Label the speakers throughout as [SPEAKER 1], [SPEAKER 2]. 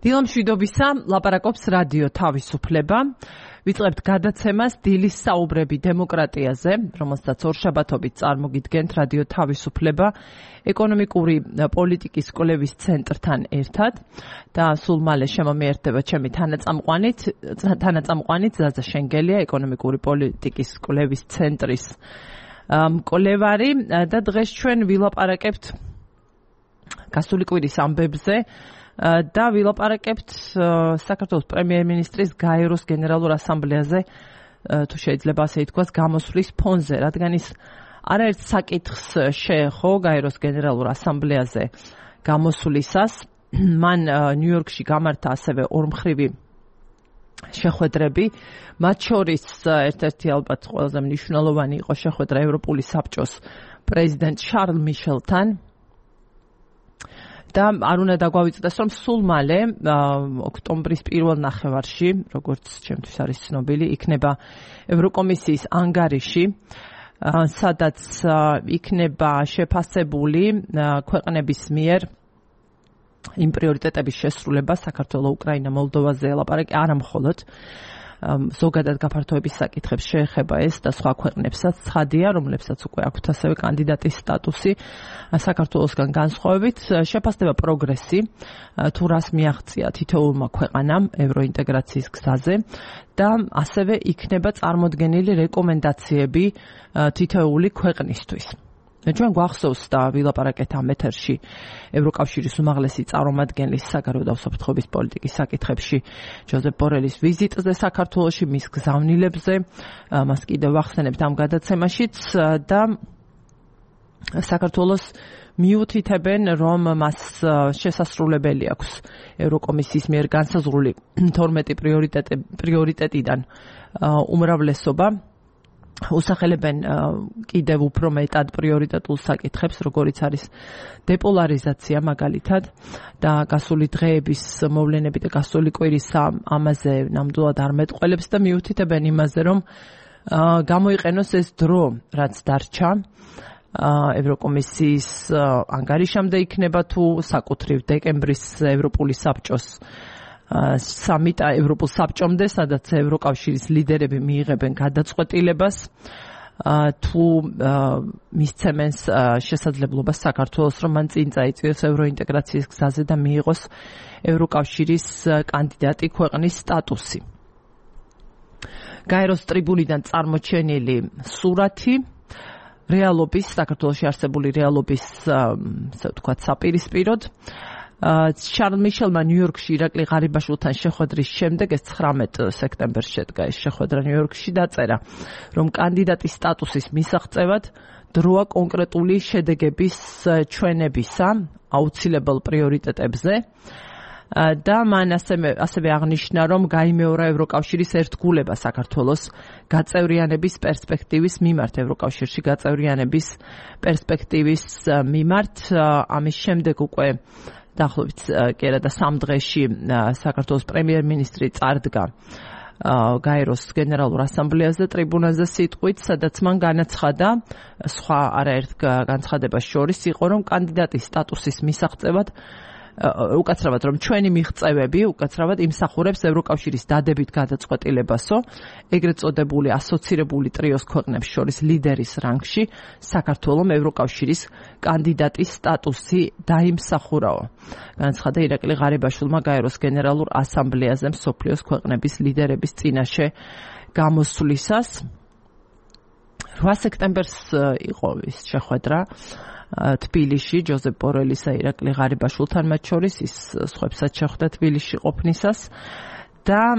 [SPEAKER 1] დილამშვიდობისა, ლაპარაკობს რადიო თავისუფლება. ვიწყებთ გადაცემას დილის საუბრები დემოკრატიაზე, რომელსაც ორშაბათობით წარმოგიდგენთ რადიო თავისუფლება ეკონომიკური პოლიტიკის კვლევის ცენტრთან ერთად და სულ მალე შემომიერთდება ჩემი თანაწამყვანით ზაზა შენგელია, ეკონომიკური პოლიტიკის კვლევის ცენტრის მკვლევარი და დღეს ჩვენ ვილაპარაკებთ გასული კვირის ამბებზე და ვილაპარაკებთ საქართველოს პრემიერ-მინისტრის გაეროს გენერალურ ასამბლეაზე, თუ შეიძლება ასე ითქვას, გამოსვლის ფონზე, რადგან ის არაერთ საკითხს შეეხო გაეროს გენერალურ ასამბლეაზე გამოსვლისას. მან ნიუ-იორკში გამართა ასევე ორმხრივი შეხვედრები, მათ შორის ერთ-ერთი ალბათ ყველაზე მნიშვნელოვანი იყო შეხვედრა ევროპული საბჭოს პრეზიდენტ შარლ მიშელთან. და არ უნდა დაგვავიწყდეს, რომ სულ მალე ოქტომბრის პირველ ნახევარში, როგორც ჩემთვის არის ცნობილი, იქნება ევროკომისიის ანგარიში, სადაც იქნება შეფასებული ქვეყნების მიერ იმ პრიორიტეტების შესრულება საქართველოს, უკრაინა, მოლდოვაზე ელაპარაკი, არა მხოლოდ ზოგადად გაფართოების საკითხებს შეეხება ეს და სხვა ქვეყნებსაც ცხადია, რომლებსაც უკვე აქვთ ასევე კანდიდატის სტატუსი საქართველოსგან განსხვავებით, შეფასდება პროგრესი, თუ რას მიაღწია თითოეულმა ქვეყანამ ევროინტეგრაციის გზაზე და ასევე იქნება წარმოდგენილი რეკომენდაციები თითოეული ქვეყნისთვის. ჩვენ გვახსოვს და ვილაპარაკეთ ამ ეთერში ევროკავშირის უმაღლესი წარმომადგენლის საგარეო და უსაფრთხოების პოლიტიკის საკითხებში ჯოზეფ ბორელის ვიზიტზე საქართველოში, მის გზავნილებზე, მას კიდევ ვახსენებთ ამ გადაცემაშიც და საქართველოს მიუთითებენ, რომ მას შესასრულებელი აქვს ევროკომისიის მიერ განსაზღვრული 12 პრიორიტეტიდან უმრავლესობა. უსახელებენ კიდევ უფრო მეტად პრიორიტეტულ საკითხებს, როგორიც არის დეპოლარიზაცია მაგალითად და გასული დღეების მოვლენები და გასული კვირის ამაზე ნამდვილად არ მეტყველებს და მიუთითებენ იმაზე, რომ გამოიყენოს ეს დრო, რაც დარჩა ევროკომისიის ანგარიშამდე იქნება თუ საკუთრივ დეკემბრის ევროპული საბჭოს სამიტა ევროპულ საბჭომდე, სადაც ევროკავშირის ლიდერები მიიღებენ გადაწყვეტილებას თუ მისცემენ შესაძლებლობას საქართველოს, რომ მან წინ წაიწიოს ევროინტეგრაციის გზაზე და მიიღოს ევროკავშირის კანდიდატი ქვეყნის სტატუსი. გაეროს ტრიბუნიდან წარმოჩენილი სურათი რეალობის, საქართველოში არსებული რეალობის, ასე ვთქვათ, საპირისპიროდ. შარლ მიშელმა ნიუ-იორკში ირაკლი ღარიბაშვილთან შეხვედრის შემდეგ, ეს 19 სექტემბერს შედგა ეს შეხვედრა ნიუ-იორკში, დაწერა, რომ კანდიდატის სტატუსის მისაღწევად დროა კონკრეტული შედეგების ჩვენებისა აუცილებელ პრიორიტეტებზე და მან ასევე აღნიშნა, რომ გაიმეორა ევროკავშირის ერთგულება საქართველოს გაწევრიანების პერსპექტივის მიმართ, ევროკავშირში გაწევრიანების პერსპექტივის მიმართ. ამის შემდეგ უკვე დაახლოებით კი არა და 3 დღეში საქართველოს პრემიერ-მინისტრი წარდგა გაეროს გენერალურ ასამბლეაზე ტრიბუნაზე სიტყვით, სადაც მან განაცხადა, სხვა არაერთ განცხადებას შორის იყო, რომ კანდიდატის სტატუსის მისაღწევად უკაცრავად, რომ ჩვენი მიღწევები უკაცრავად იმსახურებს ევროკავშირის დადებით გადაწყვეტილებასო, ეგრეთ წოდებული ასოცირებული ტრიოს ქვეყნებს შორის ლიდერის რანგში საქართველოს ევროკავშირის კანდიდატის სტატუსი დაიმსახურაო. განაცხადა ირაკლი ღარიბაშვილმა გაეროს გენერალურ ასამბლეაზე მსოფლიოს ქვეყნების ლიდერების წინაშე გამოსვლისას. 8 სექტემბერს იყო ის შეხვედრა თბილისში, ჯოზეფ ბორელისა, ირაკლი ღარიბაშვილთან მათ შორის, ის სხვებსაც შეხვდა თბილისში ყოფნისას და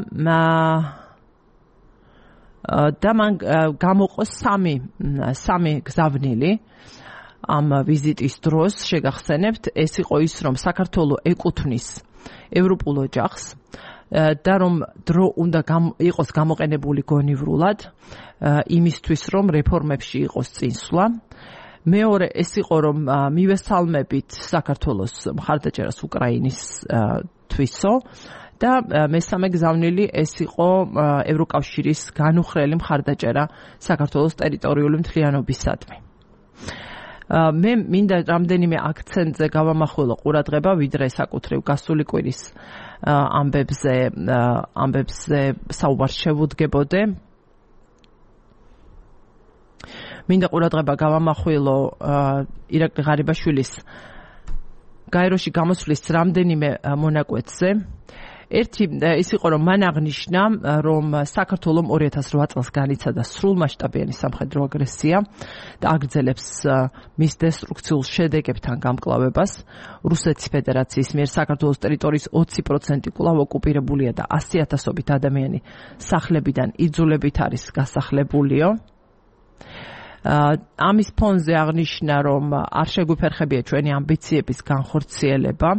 [SPEAKER 1] მან გამოყო სამი გზავნილი ამ ვიზიტის დროს. შეგახსენებთ, ეს იყო ის, რომ საქართველოს ეკუთვნის ევროპულ ოჯახს და რომ დრო უნდა იყოს გამოყენებული გონივრულად იმისთვის, რომ რეფორმებში იყოს წინსვლა. მეორე ეს იყო, რომ მივესალმებით საქართველოს მხარდაჭერას უკრაინის თვისო და მესამე გზავნილი ეს იყო ევროკავშირის განუხრელი მხარდაჭერა საქართველოს ტერიტორიული მთლიანობისადმი. მე მინდა რამდენიმე აქცენტზე გავამახვილო ყურადღება, ვიდრე საკუთრივ გასული კვირის ამბებზე საუბარს შევუდგებოდე. მინდა ყურადღება გავამახვილო ირაკლი ღარიბაშვილის გაეროში გამოსვლის რამდენიმე მონაკვეთზე. ერთი ის იყო, რომ მან აღნიშნა, რომ საქართველომ 2008 წელს განიცადა სრულმასშტაბიანი სამხედრო აგრესია და აგრძელებს მის დესტრუქციულ შედეგებთან გამკლავებას. რუსეთის ფედერაციის მიერ საქართველოს ტერიტორიის 20% კვლავ ოკუპირებულია და 100,000-ობით ადამიანი სახლებიდან იძულებით არის გასახლებულიო. ამის ფონზე აღნიშნა, რომ არ შეგვიფერხებია ჩვენი ამბიციების განხორციელება.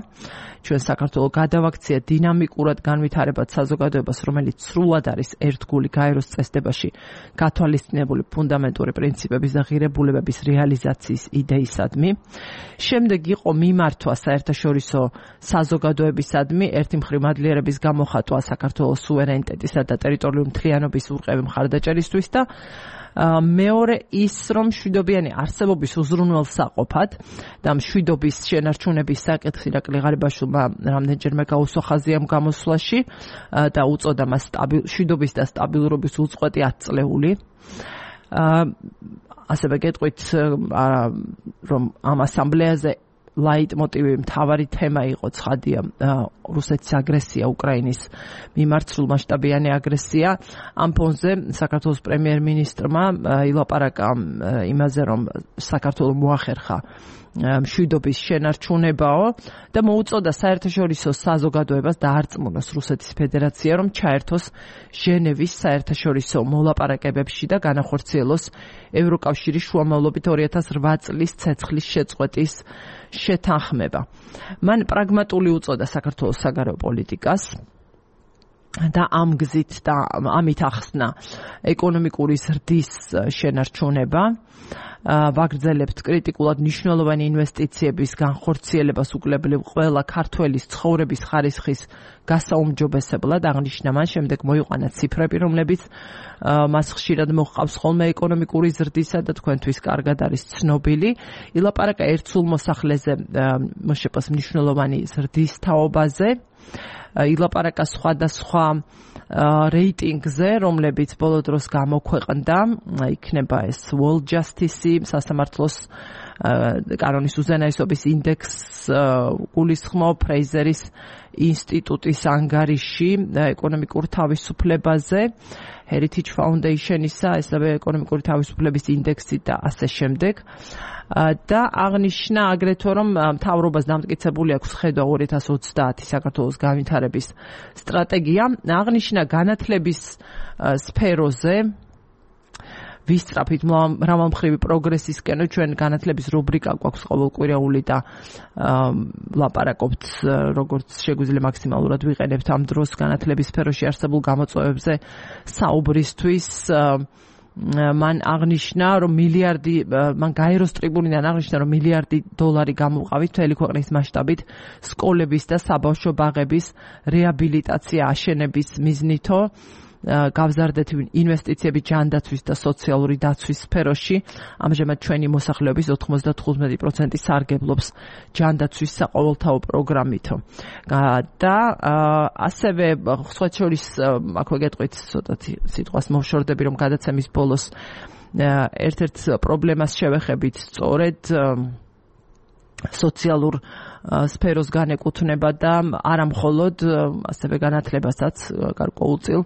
[SPEAKER 1] ჩვენ საქართველოს გადავაქცია დინამიკურად განვითარებად საზოგადოებას, რომელიც სრულად არის ერთგული გაეროს წესდებაში გათვალისწინებული ფუნდამენტური პრინციპების და ღირებულებების რეალიზაციის იდეისადმი. შემდეგ იყო მიმართვა საერთაშორისო საზოგადოებისადმი, ერთი მხრივ მადლიერების გამოხატვა საქართველოს სუვერენიტეტისა და ტერიტორიული მთლიანობის ურყევი მხარდაჭერისთვის და მეორე ის, რომ მშვიდობიანი არსებობის უზრუნველსაყოფად და მშვიდობის შენარჩუნების საკითხი ირაკლი ღარიბაშვილმა რამდენჯერმე გაუსვა ხაზი ამ გამოსვლაში და უწოდა მას მშვიდობის და სტაბილურობის უწყვეტი 10 წლეული. ასევე გეტყვით, რომ ამ ასამბლეაზე ლაიტმოტივი მთავარი თემა იყო ცხადია რუსეთის აგრესია უკრაინის მიმართ სრულმასშტაბიანი აგრესია. ამ ფონზე საქართველოს პრემიერ-მინისტრმა ილაპარაკა იმაზე, რომ საქართველოს მოახერხა მშვიდობის შენარჩუნებაო და მოუწოდა საერთაშორისო საზოგადოებას დაარწმუნოს რუსეთის ფედერაცია, რომ ჩაერთოს ჟენევის საერთაშორისო მოლაპარაკებებში და განახორციელოს ევროკავშირის შუამავლობით 2008 წლის ცეცხლის შეწყვეტის შეთანხმება. მან პრაგმატული უწოდა საქართველოს საგარეო პოლიტიკას და ამ გზით და ამით ახსნა ეკონომიკური ზრდის შენარჩუნება. ვაგრძელებთ კრიტიკულად მნიშვნელოვანი ინვესტიციების განხორციელებას უკლებლივ ყველა ქართველის ცხოვრების ხარისხის გასაუმჯობესებლად. აღნიშნა მან, შემდეგ მოიყვანა ციფრები, რომლებიც მას ხშირად მოჰყავს ხოლმე ეკონომიკური ზრდისა და თქვენთვის კარგად არის ცნობილი. ილაპარაკა ერთსულ მოსახლეზე მოშეპოს მნიშვნელოვანი ზრდის თაობაზე. ილაპარაკა სხვადასხვა რეიტინგზე, რომლებიც ბოლო დროს გამოქვეყნდა, იქნება ეს World Justice, სასამართლოს კანონის უზენაესობის ინდექსს გულისხმობ, ფრეიზერის ინსტიტუტის ანგარიში ეკონომიკურ თავისუფლებაზე, Heritage Foundation-ისა, ესევე ეკონომიკური თავისუფლების ინდექსი და ასე შემდეგ. და აღნიშნა აგრეთვე, რომ მთავრობას დამტკიცებული აქვს ხედვა 2030 საქართველოს განვითარების სტრატეგია. აღნიშნა განათლების სფეროზე ვისწრაფით მრავალმხრივი პროგრესისკენ. ჩვენ განათლების რუბრიკა გვაქვს ყოველკვირეული და ლაპარაკობთ, როგორც შეგვიძლია მაქსიმალურად ვიყენებთ ამ დროს განათლების სფეროში არსებულ გამოწვევებზე საუბრისთვის. მან აღნიშნა, რომ მან გაეროს ტრიბუნიდან აღნიშნა, რომ $1 მილიარდი გამოვყავით მთელი ქვეყნის მასშტაბით სკოლების და საბავშვო ბაღების რეაბილიტაცია აშენების მიზნითო. გავზარდეთ ინვესტიციები ჯანდაცვის და სოციალური დაცვის სფეროში. ამჟამად ჩვენი მოსახლეობის 95% სარგებლობს ჯანდაცვის საყოველთაო პროგრამით. და ასევე სხვა შორის აქვე გეტყვით ცოტათი სიტყვას მოვშორდები, რომ გადაცემის ბოლოს ერთ-ერთ პრობლემას შევეხებით სწორედ სოციალურ სფეროს განეკუთვნება და არა მხოლოდ ასევე განათლებასაც გარკვეულწილ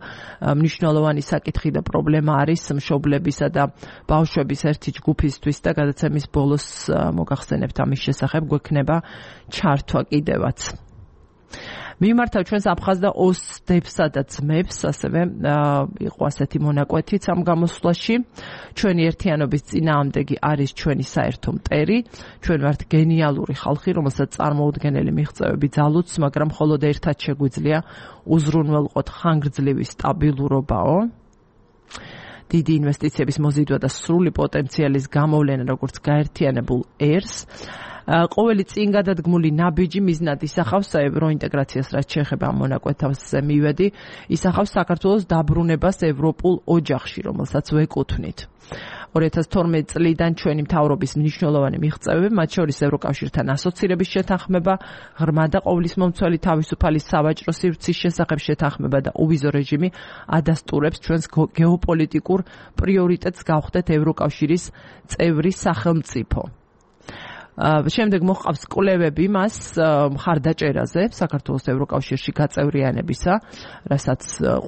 [SPEAKER 1] მნიშვნელოვანი საკითხი და პრობლემა არის მშობლებისა და ბავშვების ერთი ჯგუფისთვის და გადაცემის ბოლოს მოგახსენებთ ამის შესახებ გვექნება ჩართვა კიდევაც. მიმართავ ჩვენს აფხაზ და ოსდებსა და ძმებს, ასევე იყო ასეთი მონაკვეთიც ამ გამოსვლაში. ჩვენი ერთიანობის წინააღმდეგი არის ჩვენი საერთო მტერი. ჩვენ ვართ გენიალური ხალხი, რომელსაც წარმოუდგენელი მიღწევები ძალუძს, მაგრამ მხოლოდ ერთად შეგვიძლია უზრუნველყოთ ხანგრძლივი სტაბილურობაო. დიდი ინვესტიციების მოზიდვა და სრული პოტენციალის გამოვლენა, როგორც გაერთიანებულ ერს. ყოველი წინ გადადგმული ნაბიჯი მიზნად ისახავს ევროინტეგრაციას, რაც შეეხება ამ მონაკვეთებზე მივედი, ისახავს საქართველოს დაბრუნებას ევროპულ ოჯახში, რომელსაც ვეკუთვნით. 2012 წლიდან ჩვენი მთავრობის მნიშვნელოვანი მიღწევები, მათ შორის ევროკავშირთან ასოცირების შეთანხმება, ღრმა და ყოვლისმომცველი თავისუფალი სავაჭრო სივრცის შესახებ შეთანხმება და უვიზო რეჟიმი ადასტურებს ჩვენს გეოპოლიტიკურ პრიორიტეტს გავხდეთ ევროკავშირის წევრი სახელმწიფო. შემდეგ მოჰყავს კვლევები მას მხარდაჭერაზე საქართველოს ევროკავშირში გაწევრიანებისა, რასაც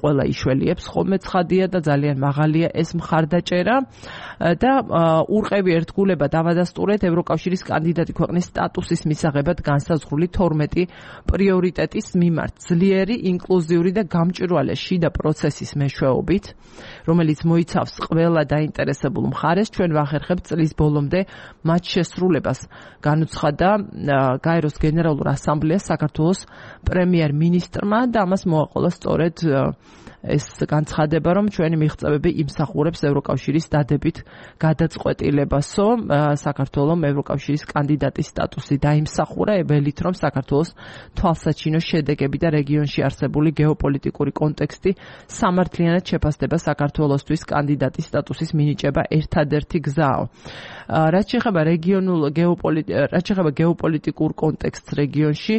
[SPEAKER 1] ყველა იშველიებს ხოლმე ცხადია და ძალიან მაღალია ეს მხარდაჭერა და ურყევი ერთგულება დავადასტურეთ ევროკავშირის კანდიდატი ქვეყნის სტატუსის მისაღებად განსაზღვრული 12 პრიორიტეტის მიმართ ძლიერი, ინკლუზიური და გამჭვირვალე შიდა პროცესის მეშვეობით, რომელიც მოიცავს ყველა დაინტერესებულ მხარეს, ჩვენ ვახერხებთ წლის ბოლომდე მათ შესრულებას. განუცხადა გაეროს გენერალურ ასამბლეას საქართველოს პრემიერ-მინისტრმა და ამას მოაყოლა სწორედ ეს განცხადება, რომ ჩვენი მიღწევები იმსახურებს ევროკავშირის დადებით გადაწყვეტილებასო, საქართველოს ევროკავშირის კანდიდატის სტატუსი დაიმსახურა, ველით რომ საქართველოს თვალსაჩინო შედეგები და რეგიონში არსებული გეოპოლიტიკური კონტექსტი სამართლიანად შეფასდება საქართველოსთვის კანდიდატის სტატუსის მინიჭება ერთადერთი გზაა. რაც შეეხება გეოპოლიტიკურ კონტექსტს რეგიონში,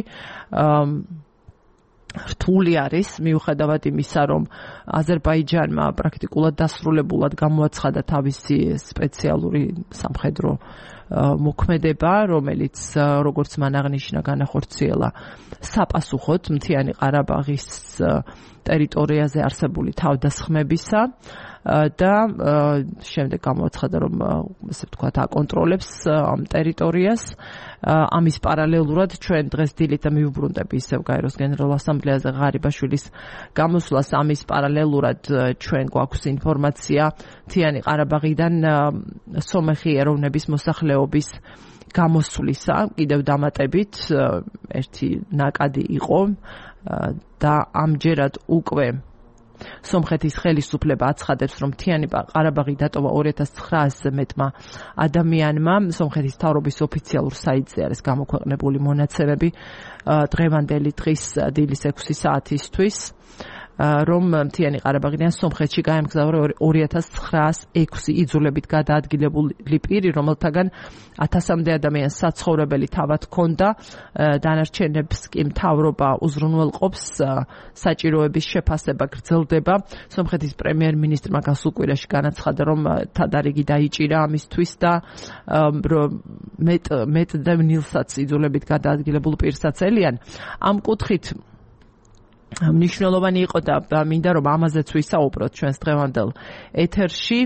[SPEAKER 1] რთული არის, მიუხედავად იმისა, რომ აზერბაიჯანმა პრაქტიკულად დასრულებულად გამოაცხადა თავისი სპეციალური სამხედრო მოქმედება, რომელიც როგორც მან აღნიშნა განახორციელა საპასუხოდ მთიანი ყარაბაღის ტერიტორიაზე არსებული თავდასხმებისა და შემდეგ გამოაცხადა, რომ ესე ვთქვათ, აკონტროლებს ამ ტერიტორიას. ამის პარალელურად ჩვენ დღეს დილით მივუბრუნდები ისევ გაეროს გენერალურ ასამბლეაზე ღარიბაშვილის გამოსვლას, ამის პარალელურად ჩვენ გვაქვს ინფორმაცია მთიანი ყარაბაღიდან სომეხი ეროვნების მოსახლეობის გამოსვლისა, კიდევ დამატებით ერთი ნაკადი იყო და ამჯერად უკვე სომხეთის ხელისუფლება აცხადებს, რომ მთიანი ყარაბაღი დატოვა 2900-ზე მეტმა ადამიანმა. სომხეთის მთავრობის ოფიციალურ საიტზე არის გამოქვეყნებული მონაცემები დღევანდელი დღის დილის 6 საათისთვის, რომ მთიანი ყარაბაღიდან სომხეთში გაემგზავრა 2906 იძულებით გადაადგილებული პირი, რომელთაგან 1000-მდე ადამიანს საცხოვრებელი თავად ჰქონდა, დანარჩენებს კი მთავრობა უზრუნველყოფს, საჭიროების შეფასება გრძელდება. სომხეთის პრემიერ-მინისტრმა გასულ კვირაში განაცხადა, რომ თადარიგი დაიჭირა ამისთვის და მეტ და ნილსაც იძულებით გადაადგილებულ პირსაც ელიან. ამ კუთხით მნიშვნელოვანი იყო და მინდა რომ ამაზეც ვისაუბროთ ჩვენს დღევანდელ ეთერში.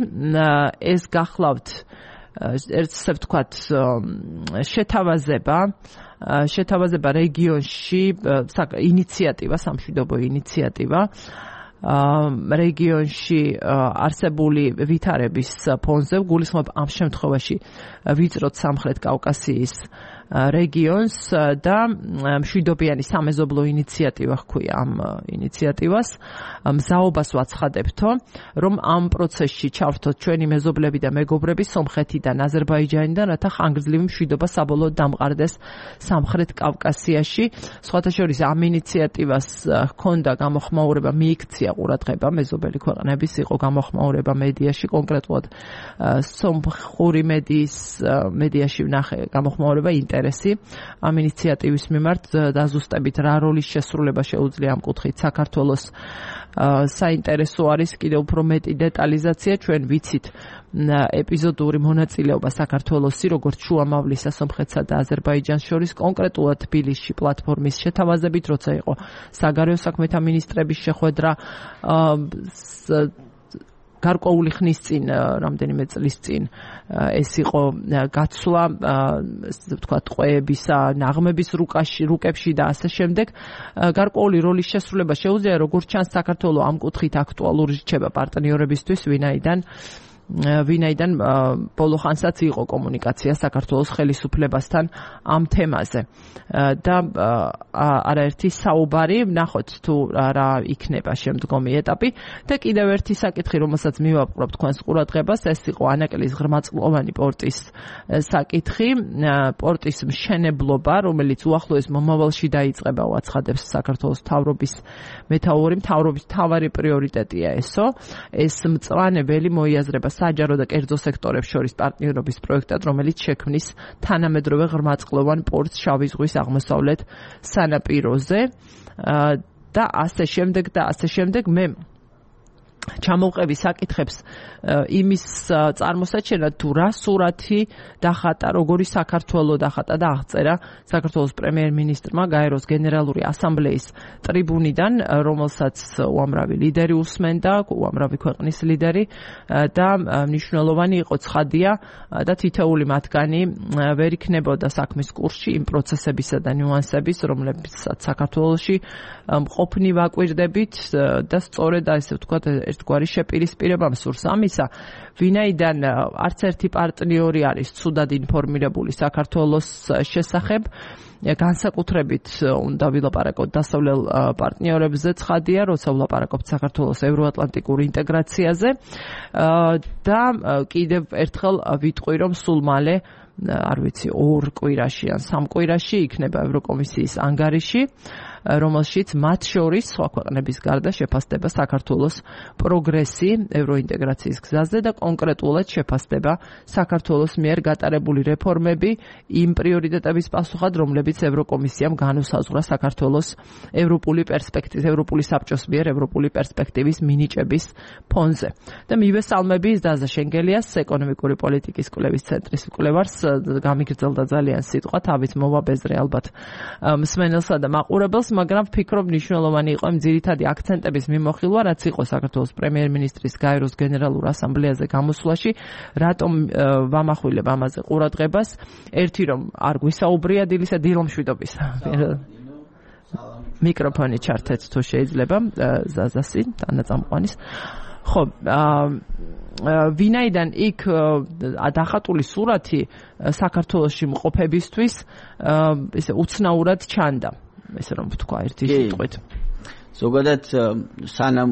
[SPEAKER 1] ეს გახლავთ ესე ვთქვათ შეთავაზება რეგიონში, ინიციატივა, სამშვიდობო ინიციატივა რეგიონში არსებული ვითარების ფონზე, გულისხმობ ამ შემთხვევაში ვიწროთ სამხრეთ კავკასიის რეგიონს და მშვიდობიანი სამეზობლო ინიციატივა ჰქვია ამ ინიციატივას. მზაობას ვაცხადებთო, რომ ამ პროცესში ჩავრთოთ ჩვენი მეზობლები და მეგობრები სომხეთიდან, აზერბაიჯანიდან, რათა ხანგრძლივი მშვიდობა საბოლოოდ დამყარდეს სამხრეთ კავკასიაში. სხვათა შორის ამ ინიციატივას ჰქონდა გამოხმაურება, მიიქცია ყურადღება მეზობელი ქვეყნების, იყო გამოხმაურება მედიაში, კონკრეტულად სომხური მედიაში ვნახე გამოხმაურება ამ ინიციატივის მიმართ დაზუსტებით რა როლის შესრულება შეუძლია ამ კუთხით საქართველოს. საინტერესო არის კიდევ უფრო მეტი დეტალიზაცია. ჩვენ ვიცით ეპიზოდური მონაწილეობა საქართველოსი, როგორც შუამავლისა სომხეთსა და აზერბაიჯანს შორის, კონკრეტულად თბილისში პლატფორმის შეთავაზებით, როცა იყო საგარეო საქმეთა მინისტრების შეხვედრა, გარკვეული ხნის წინ, რამდენიმე წლის წინ ეს იყო გაცვლა, ასე ვთქვათ, ყვეებისა, ნაღმების რუკებში და ასე შემდეგ. გარკვეული როლის შესრულება შეუძლია, როგორც ჩანს, საქართველოს ამ კუთხით აქტუალური რჩება პარტნიორებისთვის, ვინაიდან ბოლო ხანსაც იყო კომუნიკაცია საქართველოს ხელისუფლებასთან ამ თემაზე და არაერთი საუბარი, ვნახოთ თუ რა იქნება შემდგომი ეტაპი. და კიდევ ერთი საკითხი, რომელსაც მივაპყრობ თქვენს ყურადღებას, ეს იყო ანაკელის ღრმაწყლოვანი პორტის საკითხი, პორტის მშენებლობა, რომელიც უახლოეს მომავალში დაიწყება, უაცხადებს საქართველოს მთავრობის მეთაური, მთავრობის მთავარი პრიორიტეტია ესო. ეს მწვანე ველი მოიაზრება საჯარო და კერძო სექტორებს შორის პარტნიორობის პროექტად, რომელიც შექმნის თანამედროვე ღრმაწყლოვან პორტს შავი ზღვის აღმოსავლეთ სანაპიროზე და ასე შემდეგ მე ჩამოვყევი საკითხებს იმის წარმოსაჩენად თუ რა სურათი დახატა, როგორი საქართველო დახატა და აღწერა საქართველოს პრემიერ-მინისტრმა გაეროს გენერალური ასამბლეის ტრიბუნიდან, რომელსაც უამრავი ლიდერი უსმენდა, უამრავი ქვეყნის ლიდერი და მნიშვნელოვანი იყო ცხადია და თითოეული მათგანი ვერ იქნებოდა საქმის კურსში იმ პროცესებისა და ნიუანსების, რომლებსაც საქართველოში მყოფნი ვაკვირდებით და სწორედ ასე ვთქვათ ერთგვარი შეპირისპირება მსურს ამისა, ვინაიდან არც ერთი პარტნიორი არის ცუდად ინფორმირებული საქართველოს შესახებ, განსაკუთრებით უნდა ვილაპარაკოთ დასავლელ პარტნიორებზე, ცხადია, როცა ვილაპარაკობთ საქართველოს ევროატლანტიკურ ინტეგრაციაზე და კიდევ ერთხელ ვიტყვი, რომ სულ მალე არ ვიცი 2 კვირაში ან 3 კვირაში იქნება ევროკომისიის ანგარიში, რომელშიც მათ შორის სხვა ქვეყნების გარდა შეფასდება საქართველოს პროგრესი ევროინტეგრაციის გზაზე და კონკრეტულად შეფასდება საქართველოს მიერ გატარებული რეფორმები იმ პრიორიტეტების პასუხად, რომლებიც ევროკომისიამ განუსაზღვრა საქართველოს ევროპული საბჭოს მიერ ევროპული პერსპექტივის მინიჭების ფონზე. და მივესალმები დაზა შენგელიას, ეკონომიკური პოლიტიკის კვლევის ცენტრის კვლევარს, გამიგრძელდა ძალიან სიტყვა, თავით მოვაბეზრე ალბათ მსმენელსა და მაყურებელს, მაგრამ ვფიქრობ მნიშვნელოვანი იყო იმ ძირითადი აქცენტების მიმოხილვა, რაც იყო საქართველოს პრემიერ-მინისტრის გაეროს გენერალურ ასამბლეაზე გამოსვლაში, რატომ ვამახვილებ ამაზე ყურადღებას, ერთი რომ არ გვისაუბრია დილისა დილომშვიდობის. მიკროფონი ჩართეთ თუ შეიძლება, ზაზასი, თანაწამყვანის. ხო, ვინაიდან იქ დახატული სურათი საქართველოში მყოფებისთვის ესე უცნაურად ჩანდა, ესე რომ ვთქვა ერთი სიტყვით.
[SPEAKER 2] ზოგადად სანამ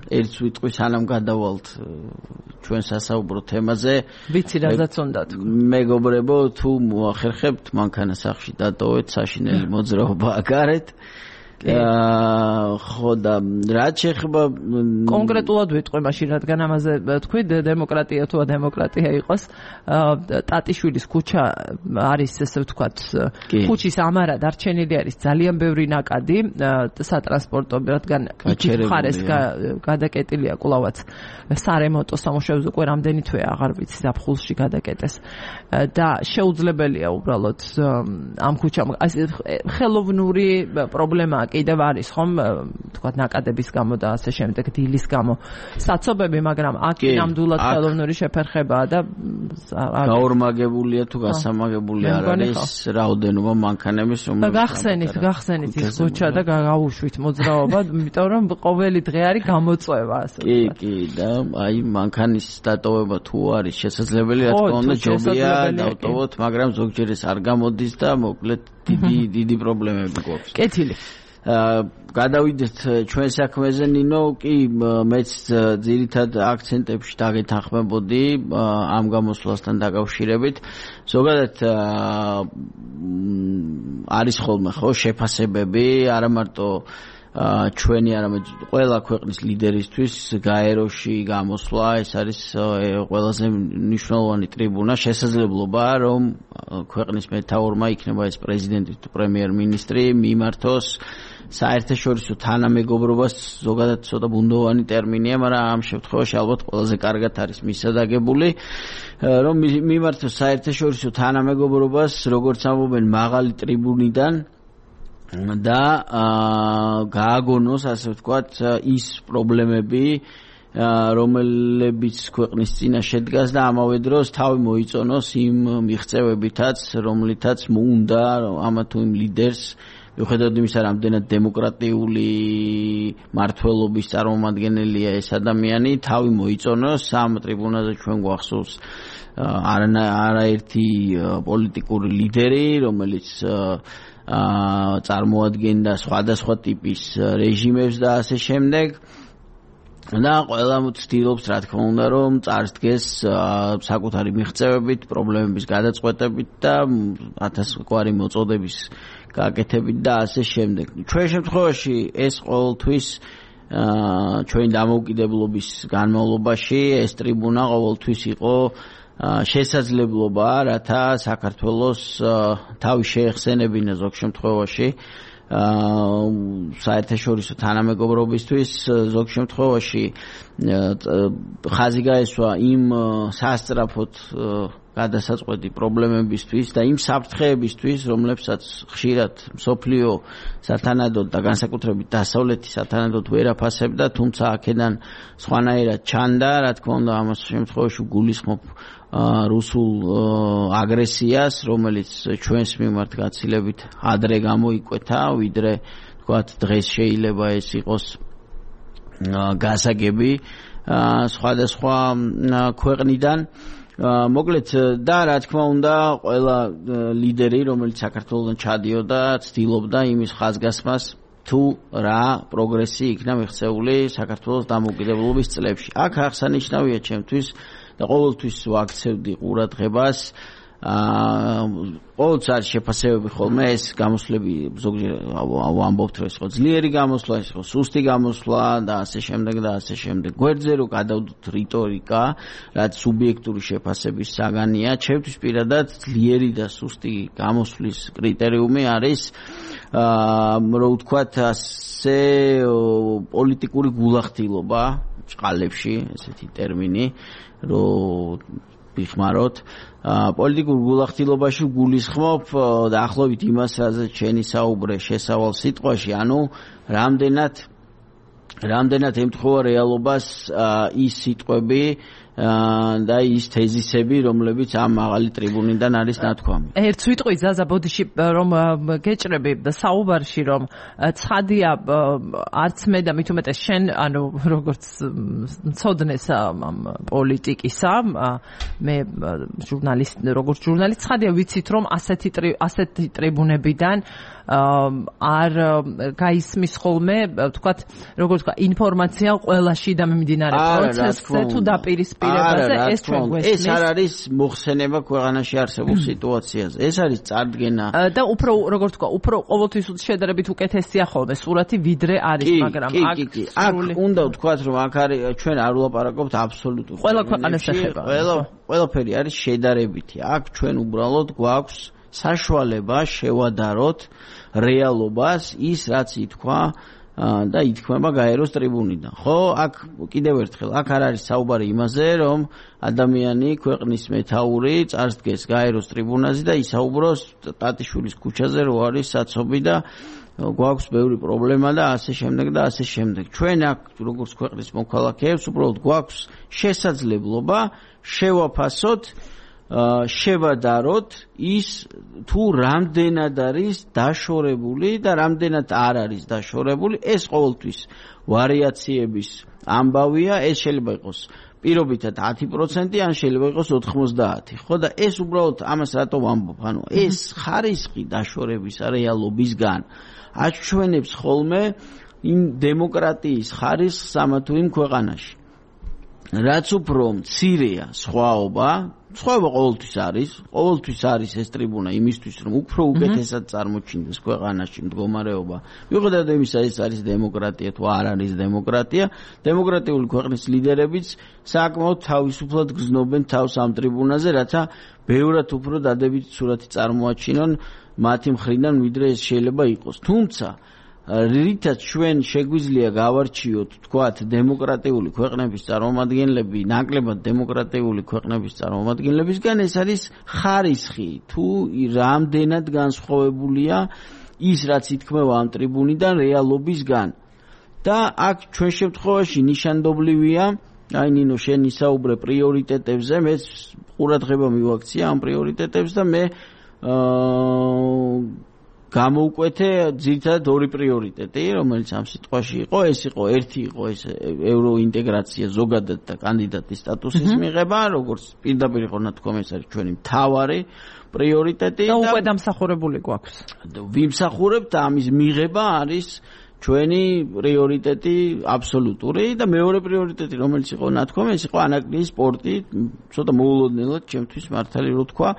[SPEAKER 2] ერთ ვიტყვი სანამ გადავალთ ჩვენ სასაუბრო თემაზე,
[SPEAKER 1] ვიცი რაზეც უნდა თქვა.
[SPEAKER 2] მეგობრებო, თუ მოახერხებთ, მანქანა სახლში დატოვეთ, საშინელი მოძრაობა აგარეთ. ხო და რაც შეეხება
[SPEAKER 1] კონკრეტულად ვიტყვი მაშინ, რადგან ამაზე თქვი, დემოკრატია თუ ადემოკრატია იყოს, ტატიშვილის ქუჩა არის, ესე ვთქვათ, ქუჩის ამარა დარჩენილი არის ძალიან ბევრი ნაკადი სატრანსპორტო, რადგან იქით მხარეს გადაკეტილია კვლავაც სარემონტო სამუშაოზე, უკვე რამდენი თვეა აღარ ვიცი, ზაფხულში გადაკეტეს და შეუძლებელია უბრალოდ ამ ქუჩამ ხელოვნური პრობლემაა კიდევ არის ხომ, თქვათ ნაკადების გამო და ასე შემდეგ, დილის გამო საცობები, მაგრამ აქ ნამდვილად ხელოვნური შეფერხებაა და
[SPEAKER 2] გაორმაგებულია თუ გასამაგებული არ არის რაოდენობა მანქანების,
[SPEAKER 1] რომელიც გახსენით ის ქუჩა და გავუშვით მოძრაობა, იმიტომ რომ ყოველი დღე არის გამოწვევა, ასე ვთქვათ.
[SPEAKER 2] კი, და აი მანქანის დატოვება თუ არის შესაძლებელი, რა თქმა უნდა ჯობია დავტოვოთ, მაგრამ ზოგჯერ ეს არ გამოდის და მოკლედ დიდი პრობლემები გვაქვს.
[SPEAKER 1] კეთილი.
[SPEAKER 2] გადავიდეთ ჩვენ საქმეზე, ნინო, კი მეც ძირითად აქცენტებში დაგეთანხმებოდი ამ გამოსვლასთან დაკავშირებით. ზოგადად არის ხოლმე ხო შეფასებები, არა მარტო ჩვენი, არამედ ყველა ქვეყნის ლიდერისთვის გაეროში გამოსვლა, ეს არის ყველაზე მნიშვნელოვანი ტრიბუნა, შესაძლებლობა, რომ ქვეყნის მეთაურმა, იქნება ეს პრეზიდენტი თუ პრემიერ-მინისტრი, მიმართოს საერთაშორისო თანამეგობრობას, ზოგადად ცოტა ბუნდოვანი ტერმინია, მაგრამ ამ შემთხვევაში ალბათ ყველაზე კარგად არის მისადაგებული, რომ მიმართოს საერთაშორისო თანამეგობრობას, როგორც ამბობენ, მაღალი ტრიბუნიდან და გააგონოს, ასე ვთქვათ, ის პრობლემები, რომლებიც ქვეყნის წინა შედგას და ამავე დროს თავი მოიწონოს იმ მიღწევებითაც, რომლითაც უნდა ამა თუ იმ ლიდერს, მიუხედავად იმისა, რამდენად დემოკრატიული მართლობის წარმომადგენელია ეს ადამიანი, თავი მოიწონოს. ამ ტრიბუნაზე ჩვენ გვახსოვს არაერთი პოლიტიკური ლიდერი, რომელიც წარმოადგენდა სხვადასხვა ტიპის რეჟიმებს და ასე შემდეგ. და ყველა ცდილობს, რა თქმა უნდა, რომ წარსდგეს საკუთარი მიღწევებით, პრობლემების გადაწყვეტებით და 1000 გვარი მოწოდების გაკეთებით და ასე შემდეგ. ჩვენ შემთხვევაში ეს ყოველთვის ჩვენი დამოუკიდებლობის განმავლობაში ეს ტრიბუნა ყოველთვის იყო შესაძლებლობა, რათა საქართველოს თავი შეეხსენებინა ზოგ შემთხვევაში საერთაშორისო თანამეგობრობისთვის, ზოგ შემთხვევაში ხაზი გაესვა იმ სასწრაფოდ გადასაწყვეტი პრობლემებისთვის და იმ საფრთხეებისთვის, რომლებსაც ხშირად მსოფლიო სათანადოდ და განსაკუთრებით დასავლეთი სათანადოდ ვერ აფასებდა, თუმცა აქედან სხვანაირად ჩანდა, რა თქმა უნდა, ამას შემთხვევაში გულისხმობ რუსულ აგრესიას, რომელიც ჩვენს მიმართ გაცილებით ადრე გამოიკვეთა, ვიდრე თქვათ დღეს შეიძლება ეს იყოს გასაგები სხვადასხვა ქვეყნიდან. მოკლედ და რა თქმა უნდა ყველა ლიდერი, რომელიც საქართველოსთან ჩადიოდა, ცდილობდა იმის ხაზგასმას, თუ რა პროგრესი იქნა მიღწეული საქართველოს დამოუკიდებლობის წლებში. აქ აღსანიშნავია ჩემთვის და ყოველთვის ვაქცევდი ყურადღებას ყოველთვის არის შეფასებები ხოლმე ეს გამოსვლები ზოგჯერ ვამბობთ რომ ეს ხო ძლიერი გამოსვლა, ეს ხო სუსტი გამოსვლა და ასე შემდეგ და ასე შემდეგ. გვერდზე რო გადავდოთ რიტორიკა, რაც სუბიექტური შეფასების საგანია, ჩემთვის პირადად ძლიერი და სუსტი გამოსვლის კრიტერიუმი არის რო ვთქვათ ასე პოლიტიკური გულახდილობა წყალებში, ესეთი ტერმინი რო ვიხმაროთ პოლიტიკურ გულახდილობაში გულისხმობ დაახლოებით იმას, რაზეც შენი საუბრე შესავალ სიტყვაში, ანუ რამდენად ემთხვევა რეალობას ის სიტყვები და ის თეზისები, რომლებიც ამ მაღალი ტრიბუნიდან არის ნათქვამი.
[SPEAKER 1] ერთ სიტყვით ზაზა ბოდიში რომ გეჭრები საუბარში, რომ ცხადია არც მე და მით უმეტეს შენ, ანუ როგორც მცოდნეს პოლიტიკისა, მე როგორც ჟურნალისტ ცხადია ვიცით, რომ ასეთი ტრიბუნებიდან არ გაისმის ხოლმე, თქვათ, როგორც თქვა, ინფორმაცია ყველა შიდა მიმდინარე პროცესზე თუ დაპირისპირებაზე, ეს ჩვენ გვესმის.
[SPEAKER 2] ეს არ არის მოხსენება ქვეყანაში არსებულ სიტუაციაზე. ეს არის წარდგენა.
[SPEAKER 1] და უფრო, როგორც თქვა, უფრო ყოველთვის შედარებით უკეთესია ხოლმე სურათი, ვიდრე არის, მაგრამ
[SPEAKER 2] აქ უნდა ვთქვათ, რომ აქ არის ჩვენ არ ვლაპარაკობთ აბსოლუტურად.
[SPEAKER 1] ყველა ქვეყანას ეხება.
[SPEAKER 2] ყველაფერი არის შედარებითი. აქ ჩვენ უბრალოდ გვაქვს საშუალება შევადაროთ რეალობას, ის რაც ითქვა და ითქმება გაეროს ტრიბუნიდან. ხო, აქ კიდევ ერთხელ, აქ არ არის საუბარი იმაზე, რომ ადამიანი ქვეყნის მეთაური წარსდგეს გაეროს ტრიბუნაზე და ისაუბროს ტატიშვილის ქუჩაზე, რო არის საცობი და გვაქვს ბევრი პრობლემა და ასე შემდეგ და ასე შემდეგ. ჩვენ აქ როგორც ქვეყნის მოქალაქეებს უბრალოდ გვაქვს შესაძლებლობა შევაფასოთ შევადაროთ ის თუ რამდენად არის დაშორებული და რამდენად არ არის დაშორებული. ეს ყოველთვის ვარიაციების ამბავია, ეს შეიძლება იყოს პირობითად 10%, ან შეიძლება იყოს 90%. ხო და ეს უბრალოდ ამას რატო ვამბობ? ანუ ეს ხარისხი დაშორების რეალობისგან აჩვენებს ხოლმე იმ დემოკრატიის ხარისხს ამა თუ იმ ქვეყანაში. რაც უფრო მცირეა სხვაობა ყოველთვის არის ეს ტრიბუნა იმისთვის, რომ უფრო უკეთესად წარმოჩინდეს ქვეყანაში მდგომარეობა. მიუხედავად იმისა, ეს არის დემოკრატია თუ არ არის დემოკრატია, დემოკრატიული ქვეყნის ლიდერებიც საკმაოდ თავისუფლად გრძნობენ თავს ამ ტრიბუნაზე, რათა ბევრად უფრო დადებითი სურათი წარმოაჩინონ მათი მხრიდან, ვიდრე ეს შეიძლება იყოს. თუმცა რითაც ჩვენ შეგვიძლია გავარჩიოთ, თქვათ, დემოკრატიული ქვეყნების წარმომადგენლები, ნაკლებად დემოკრატიული ქვეყნების წარმომადგენლებისგან, ეს არის ხარისხი, თუ რამდენად განსხვავებულია ის, რაც ითქმება ამ ტრიბუნიდან რეალობისგან. და აქ ჩვენ შემთხვევაში ნიშანდობლივია, აი ნინო, შენ ისაუბრე პრიორიტეტებზე, მე ყურადღება მივაქცია ამ პრიორიტეტებს და მე გამოვკვეთე ძირითადად ორი პრიორიტეტი, რომელიც ამ სიტყვაში იყო, ერთი იყო ეს ევროინტეგრაცია ზოგადად და კანდიდატის სტატუსის მიღება, როგორც პირდაპირ იყო ნათქვამი, ეს არის ჩვენი მთავარი პრიორიტეტი
[SPEAKER 1] და უკვე დამსახურებული გვაქვს.
[SPEAKER 2] ვიმსახურებთ და ამის მიღება არის ჩვენი პრიორიტეტი აბსოლუტური და მეორე პრიორიტეტი, რომელიც იყო ნათქვამი, ეს იყო ანაკრიის სპორტი, ცოტა მოულოდნელად ჩემთვის მართალი რო თქვა.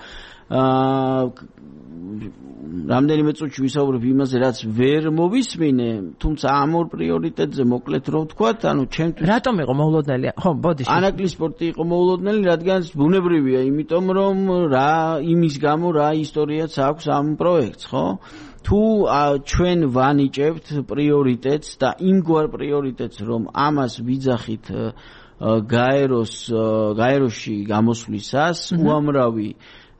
[SPEAKER 2] რამდენიმე წუთში ვისაუბრებ იმაზე, რაც ვერ მოვისმინე, თუმცა ამ ორ პრიორიტეტზე მოკლედ რომ ვთქვათ, ჩემთვის
[SPEAKER 1] რატომ იყო მოულოდნელი? ხო, ბოდიში.
[SPEAKER 2] ანაკლის სპორტი იყო მოულოდნელი, რადგან ბუნებრივია, იმიტომ რომ იმის გამო რა ისტორიაც აქვს ამ პროექტს, ხო? თუ ჩვენ ვანიჭებთ პრიორიტეტს და იმგვარ პრიორიტეტს, რომ ამას ვიძახით გაეროში გამოსვლისას, უამრავი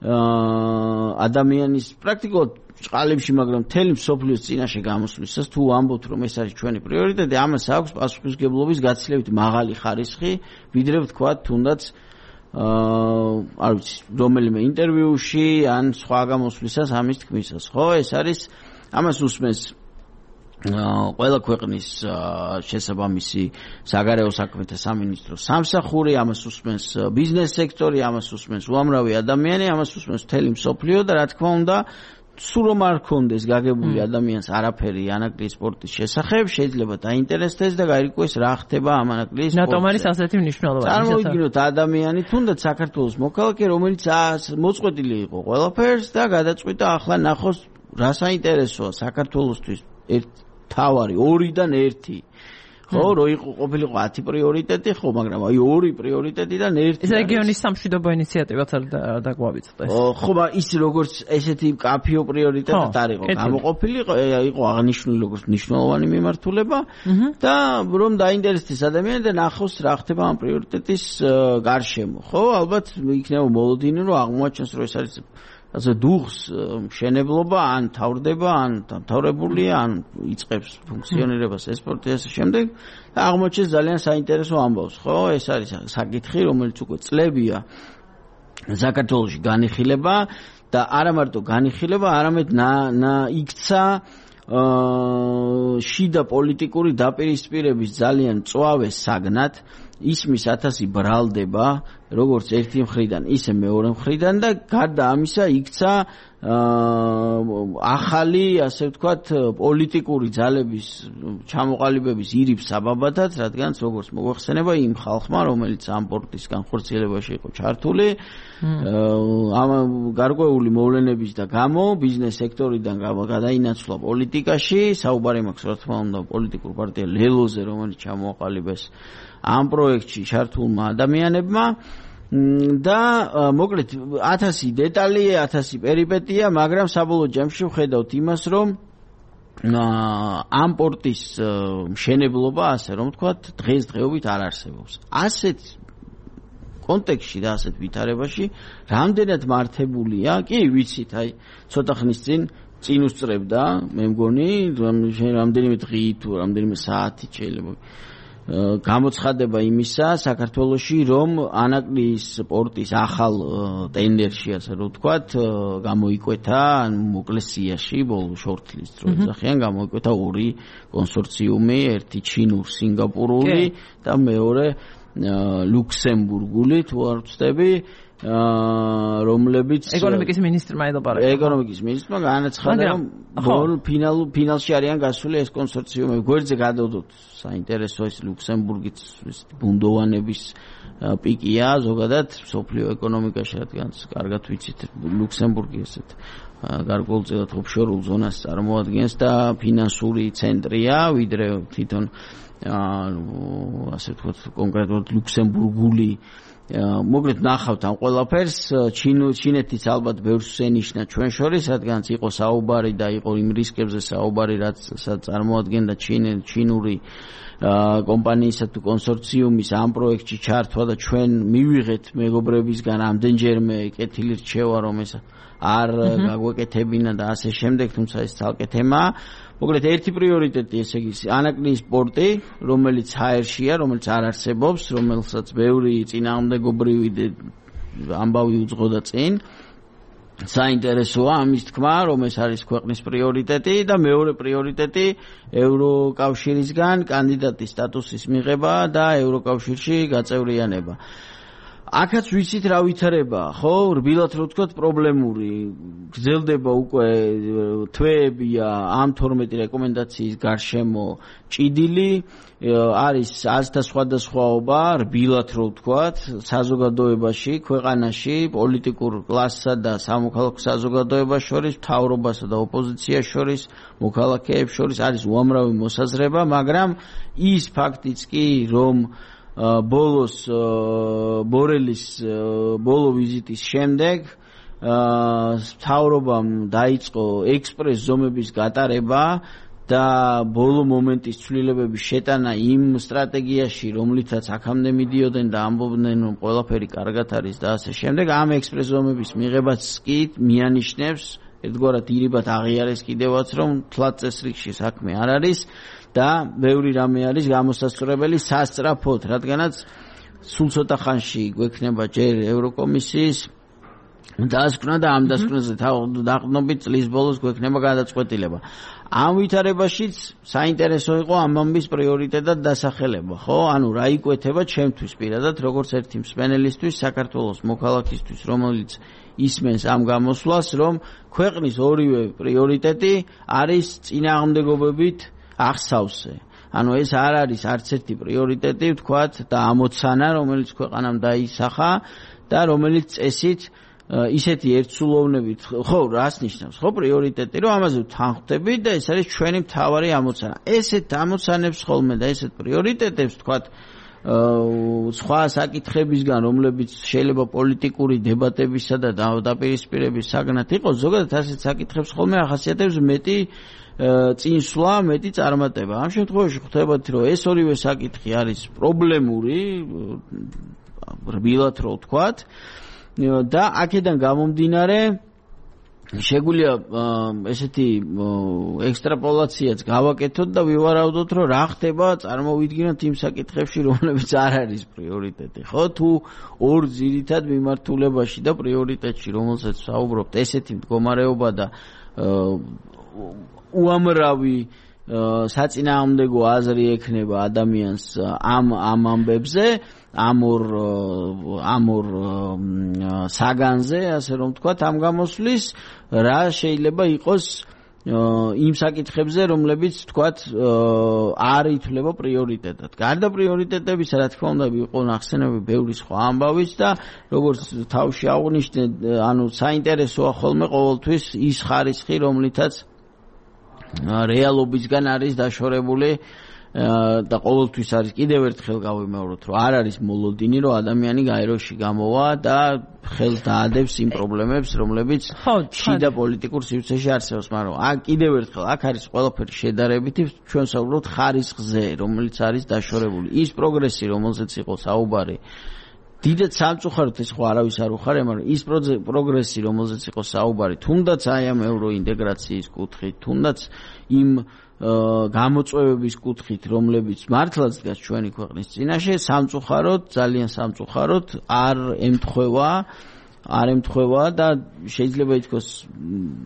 [SPEAKER 2] ადამიანის პრაქტიკულად წყალებში, მაგრამ მთელი მსოფლიოს წინაშე გამოსვლისას, თუ ამბობთ, რომ ეს არის ჩვენი პრიორიტეტი, ამას აქვს პასუხისმგებლობის გაცილებით მაღალი ხარისხი, ვიდრე ვთქვათ, თუნდაც არ ვიცი, რომელიმე ინტერვიუში ან სხვა გამოსვლისას ამის თქმისას, ხო? ეს არის ამას უსმენს ყველა ქვეყნის შესაბამისი საგარეო საქმეთა სამინისტრო სამსახური, ამას უსმენს ბიზნეს სექტორი, ამას უსმენს უამრავი ადამიანი, ამას უსმენს მთელი მსოფლიო და რა თქმა უნდა სულ რომ არ ქონდეს გაგებული ადამიანს არაფერი ანაკლის სპორტის შესახებ, შეიძლება დაინტერესდეს და გაირკვეს რა ხდება ამ ანაკლის სპორტზე.
[SPEAKER 1] რატომ არის ასეთი მნიშვნელობა?
[SPEAKER 2] წარმოვიდგინოთ ადამიანი, თუნდაც საქართველოს მოქალაქე, რომელიც მოწყვეტილი იყო ყველაფერს და გადაწყვიტა ახლა ნახოს რა საინტერესოა საქართველოსთვის თავარი 2-დან 1. ხო, რო იყო ყოფილიყო 10 პრიორიტეტი, ხო, მაგრამ აი 2 პრიორიტეტიდან 1.
[SPEAKER 1] ეს რეგიონის სამშვიდობო ინიციატივაც არ დაგვავიწყდეს.
[SPEAKER 2] ხო, ის როგორც ესეთი კაფიო პრიორიტეტად არ იყო გამოყოფილი, იყო აღნიშნული როგორც მნიშვნელოვანი მიმართულება და რომ დაინტერესდეს ადამიანი და ნახოს რა ხდება ამ პრიორიტეტის გარშემო. ხო, ალბათ იქნება მოლოდინი, რომ აღმოაჩენს, რომ ეს არის ასე დუღს მშენებლობა ან თავრდება ან დამთავრებულია ან იწყებს ფუნქციონირებას ეს სპორტი ასე შემდეგ და აღმოჩნდეს ძალიან საინტერესო ამბავს, ხო? ეს არის საკითხი, რომელიც უკვე წლებია საქართველოში განიხილება და არა მარტო განიხილება, არამედ იქცა შიდა პოლიტიკური დაპირისპირების ძალიან მწვავე საგნად ისმის 1000 ბრალდება როგორც ერთი მხრიდან ისე მეორე მხრიდან და გარდა ამისა იქცა ახალი ასე ვთქვათ პოლიტიკური ძალების ჩამოყალიბების ირიბ საბაბათაც, რადგან როგორც მოგვეხსენება იმ ხალხმა, რომელიც ამ სპორტის განხორციელებაში იყო ჩართული, ამ გარკვეული მოვლენების და გამო ბიზნეს სექტორიდან გადაინაცვლა პოლიტიკაში, საუბარი მაქვს რა თქმა უნდა პოლიტიკურ პარტია ლელოზე, რომელიც ჩამოაყალიბეს ამ პროექტში ჩართულმა ადამიანებმა და მოკლედ 1000 დეტალი, 1000 პერიპეტია, მაგრამ საბოლოო ჯამში ვხედავთ იმას, რომ ამ პორტის მშენებლობა, ასე რომ ვთქვათ, დღესდღეობით არ არსებობს. ასეთ კონტექსტში და ასეთ ვითარებაში რამდენად მართებულია, კი ვიცით, აი ცოტა ხნის წინ უსწრებდა, მე მგონი, რამდენიმე დღით თუ რამდენიმე საათით შეიძლება გამოცხადება იმისა საქართველოში, რომ ანაკლის სპორტის ახალ ტენდერში, ასე რომ ვთქვათ, გამოიკვეთა, ან მოკლესიაში, ბოლო შორტლის დრო ეძახიან, გამოიკვეთა 2 კონსორციუმი, ერთი ჩინურ-სინგაპურული და მეორე ლუქსემბურგული, თუ არ ვცდები, რომლებიც
[SPEAKER 1] ეკონომიკის მინისტრმა ელაპარაკა.
[SPEAKER 2] ეკონომიკის მინისტრმა განაცხადა, რომ ფინალში არიან გასული ეს კონსორციუმები. გვერდზე გადავდოთ, საინტერესო ეს ლუქსემბურგის ბუნდოვანების პიკია ზოგადად მსოფლიო ეკონომიკაში, რადგან კარგად ვიცით, ლუქსემბურგი ესეთ გარკვეულწილად ოფშორულ ზონას წარმოადგენს და ფინანსური ცენტრია, ვიდრე თვითონ ასე ვთქვათ, კონკრეტულად ლუქსემბურგული მოკლედ ნახავთ ამ ყველაფერს. ჩინეთის ალბათ ბევრს შენიშნა ჩვენ შორის, რადგანაც იყო საუბარი და იყო იმ რისკებზე საუბარი, რაც წარმოადგენდა ჩინური კომპანიისა თუ კონსორციუმის ამ პროექტში ჩართვა და ჩვენ მივიღეთ მეგობრებისგან ამდენჯერმე კეთილი რჩევა, რომ ეს არ გაგვეკეთებინა და ასე შემდეგ, თუმცა ეს ცალკე თემაა. მოკლედ ერთი პრიორიტეტი, ესე იგი ანაკლის სპორტი, რომელიც ჰაერშია, რომელიც არ არსებობს, რომელსაც ბევრი წინააღმდეგობრივი ამბავი უძღოდა წინ. საინტერესოა ამის თქმა, რომ ეს არის ქვეყნის პრიორიტეტი და მეორე პრიორიტეტი ევროკავშირისგან კანდიდატის სტატუსის მიღება და ევროკავშირში გაწევრიანება. აქაც ვიცით რა ვითარებაა, ხო? რბილად რო ვთქვათ, პრობლემური გრძელდება უკვე თვეებია ამ 12 რეკომენდაციის გარშემო ჭიდილი, არის აზრთა სხვადასხვაობა, რბილად რო ვთქვათ, საზოგადოებაში, ქვეყანაში, პოლიტიკურ კლასსა და სამოქალაქო საზოგადოებას შორის, მთავრობასა და ოპოზიციას შორის, მოქალაქეებს შორის არის უამრავი მოსაზრება, მაგრამ ის ფაქტიც კი, რომ ბოლოს ბორელის ბოლო ვიზიტის შემდეგ მთავრობამ დაიწყო ექსპრეს ზომების გატარება და ბოლო მომენტის ცვლილებების შეტანა იმ სტრატეგიაში, რომლითაც აქამდე მიდიოდნენ და ამბობდნენ, რომ ყველაფერი კარგად არის და ასე შემდეგ, ამ ექსპრეს ზომების მიღებაც კი მიანიშნებს ერთგვარად ირიბად აღიარეს კიდევაც, რომ თლად წესრიგში საქმე არ არის და ბევრი რამე არის გამოსასწორებელი სასწრაფოდ, რადგანაც სულ ცოტა ხანში გვექნება ჯერ ევროკომისიის დასკვნა და ამ დასკვნაზე დაყრდნობით წლის ბოლოს გვექნება გადაწყვეტილება. ამ ვითარებაშიც საინტერესო იყო ამ ამბის პრიორიტეტად დასახელება, ხო? ანუ რა იკვეთება ჩემთვის პირადად, როგორც ერთი მსმენელისთვის, საქართველოს მოქალაქისთვის, რომელიც ისმენს ამ გამოსვლას, რომ ქვეყნის ორივე პრიორიტეტი არის წინააღმდეგობებით აღსავსე. ანუ ეს არ არის არც ერთი პრიორიტეტი, ვთქვათ, და ამოცანა, რომელიც ქვეყანამ დაისახა და რომელიც წესით ისეთი ერთსულოვნებით, ხო, რას ნიშნავს, ხო, პრიორიტეტი, რომ ამაზე ვთანხმდებით და ეს არის ჩვენი მთავარი ამოცანა. ესეთ ამოცანებს ხოლმე და ესეთ პრიორიტეტებს, ვთქვათ, სხვა საკითხებისგან, რომლებიც შეიძლება პოლიტიკური დებატებისა და დაპირისპირების საგნად იყოს, ზოგადად ასეთ საკითხებს ხოლმე ახასიათებს მეტი წინსვლა, მეტი წარმატება. ამ შემთხვევაში ხვდებათ, რომ ეს ორივე საკითხი არის პრობლემური, რბილად რო ვთქვათ, და აქედან გამომდინარე შეგვიძლია ესეთი ექსტრაპოლაციაც გავაკეთოთ და ვივარაუდოთ, რომ რა ხდება, წარმოვიდგინოთ იმ საკითხებში, რომლებიც არ არის პრიორიტეტი, ხო? თუ ორ ძირითად მიმართულებაში და პრიორიტეტში, რომელსაც საუბრობთ, ესეთი მდგომარეობა და უამრავი საწინააღმდეგო აზრი ექნება ადამიანს ამ ამბებზე, ამ ორ საგანზე, ასე რომ ვთქვათ, ამ გამოსვლის რა შეიძლება იყოს იმ საკითხებზე, რომლებიც ვთქვათ არ ითვლება პრიორიტეტად. გარდა პრიორიტეტებისა, რა თქმა უნდა, იყო ნახსენები ბევრი სხვა ამბავიც და როგორც თავში აღვნიშნე, ანუ საინტერესოა ხოლმე ყოველთვის ის ხარისხი, რომლითაც რეალობისგან არის დაშორებული და ყოველთვის არის კიდევ ერთხელ გავიმეოროთ, რომ არ არის მოლოდინი, რომ ადამიანი გაეროში გამოვა და ხელს დაადებს იმ პრობლემებს, რომლებიც შიდა პოლიტიკურ სივრცეში არსებობს, მაგრამ კიდევ ერთხელ აქ არის ყველაფერი შედარებითი, ჩვენ საუბრობთ ხარისხზე, რომელიც არის დაშორებული. ის პროგრესი, რომელზეც იყო საუბარი, დიდად სამწუხაროდ ეს ხო არავის არ უხარია, მაგრამ ის პროგრესი, რომელზეც იყო საუბარი, თუნდაც აი ამ ევროინტეგრაციის კუთხით, თუნდაც იმ გამოწვევების კუთხით, რომლებიც მართლაც დგას ჩვენი ქვეყნის წინაშე, სამწუხაროდ, ძალიან სამწუხაროდ არ ემთხვევა და შეიძლება ითქვას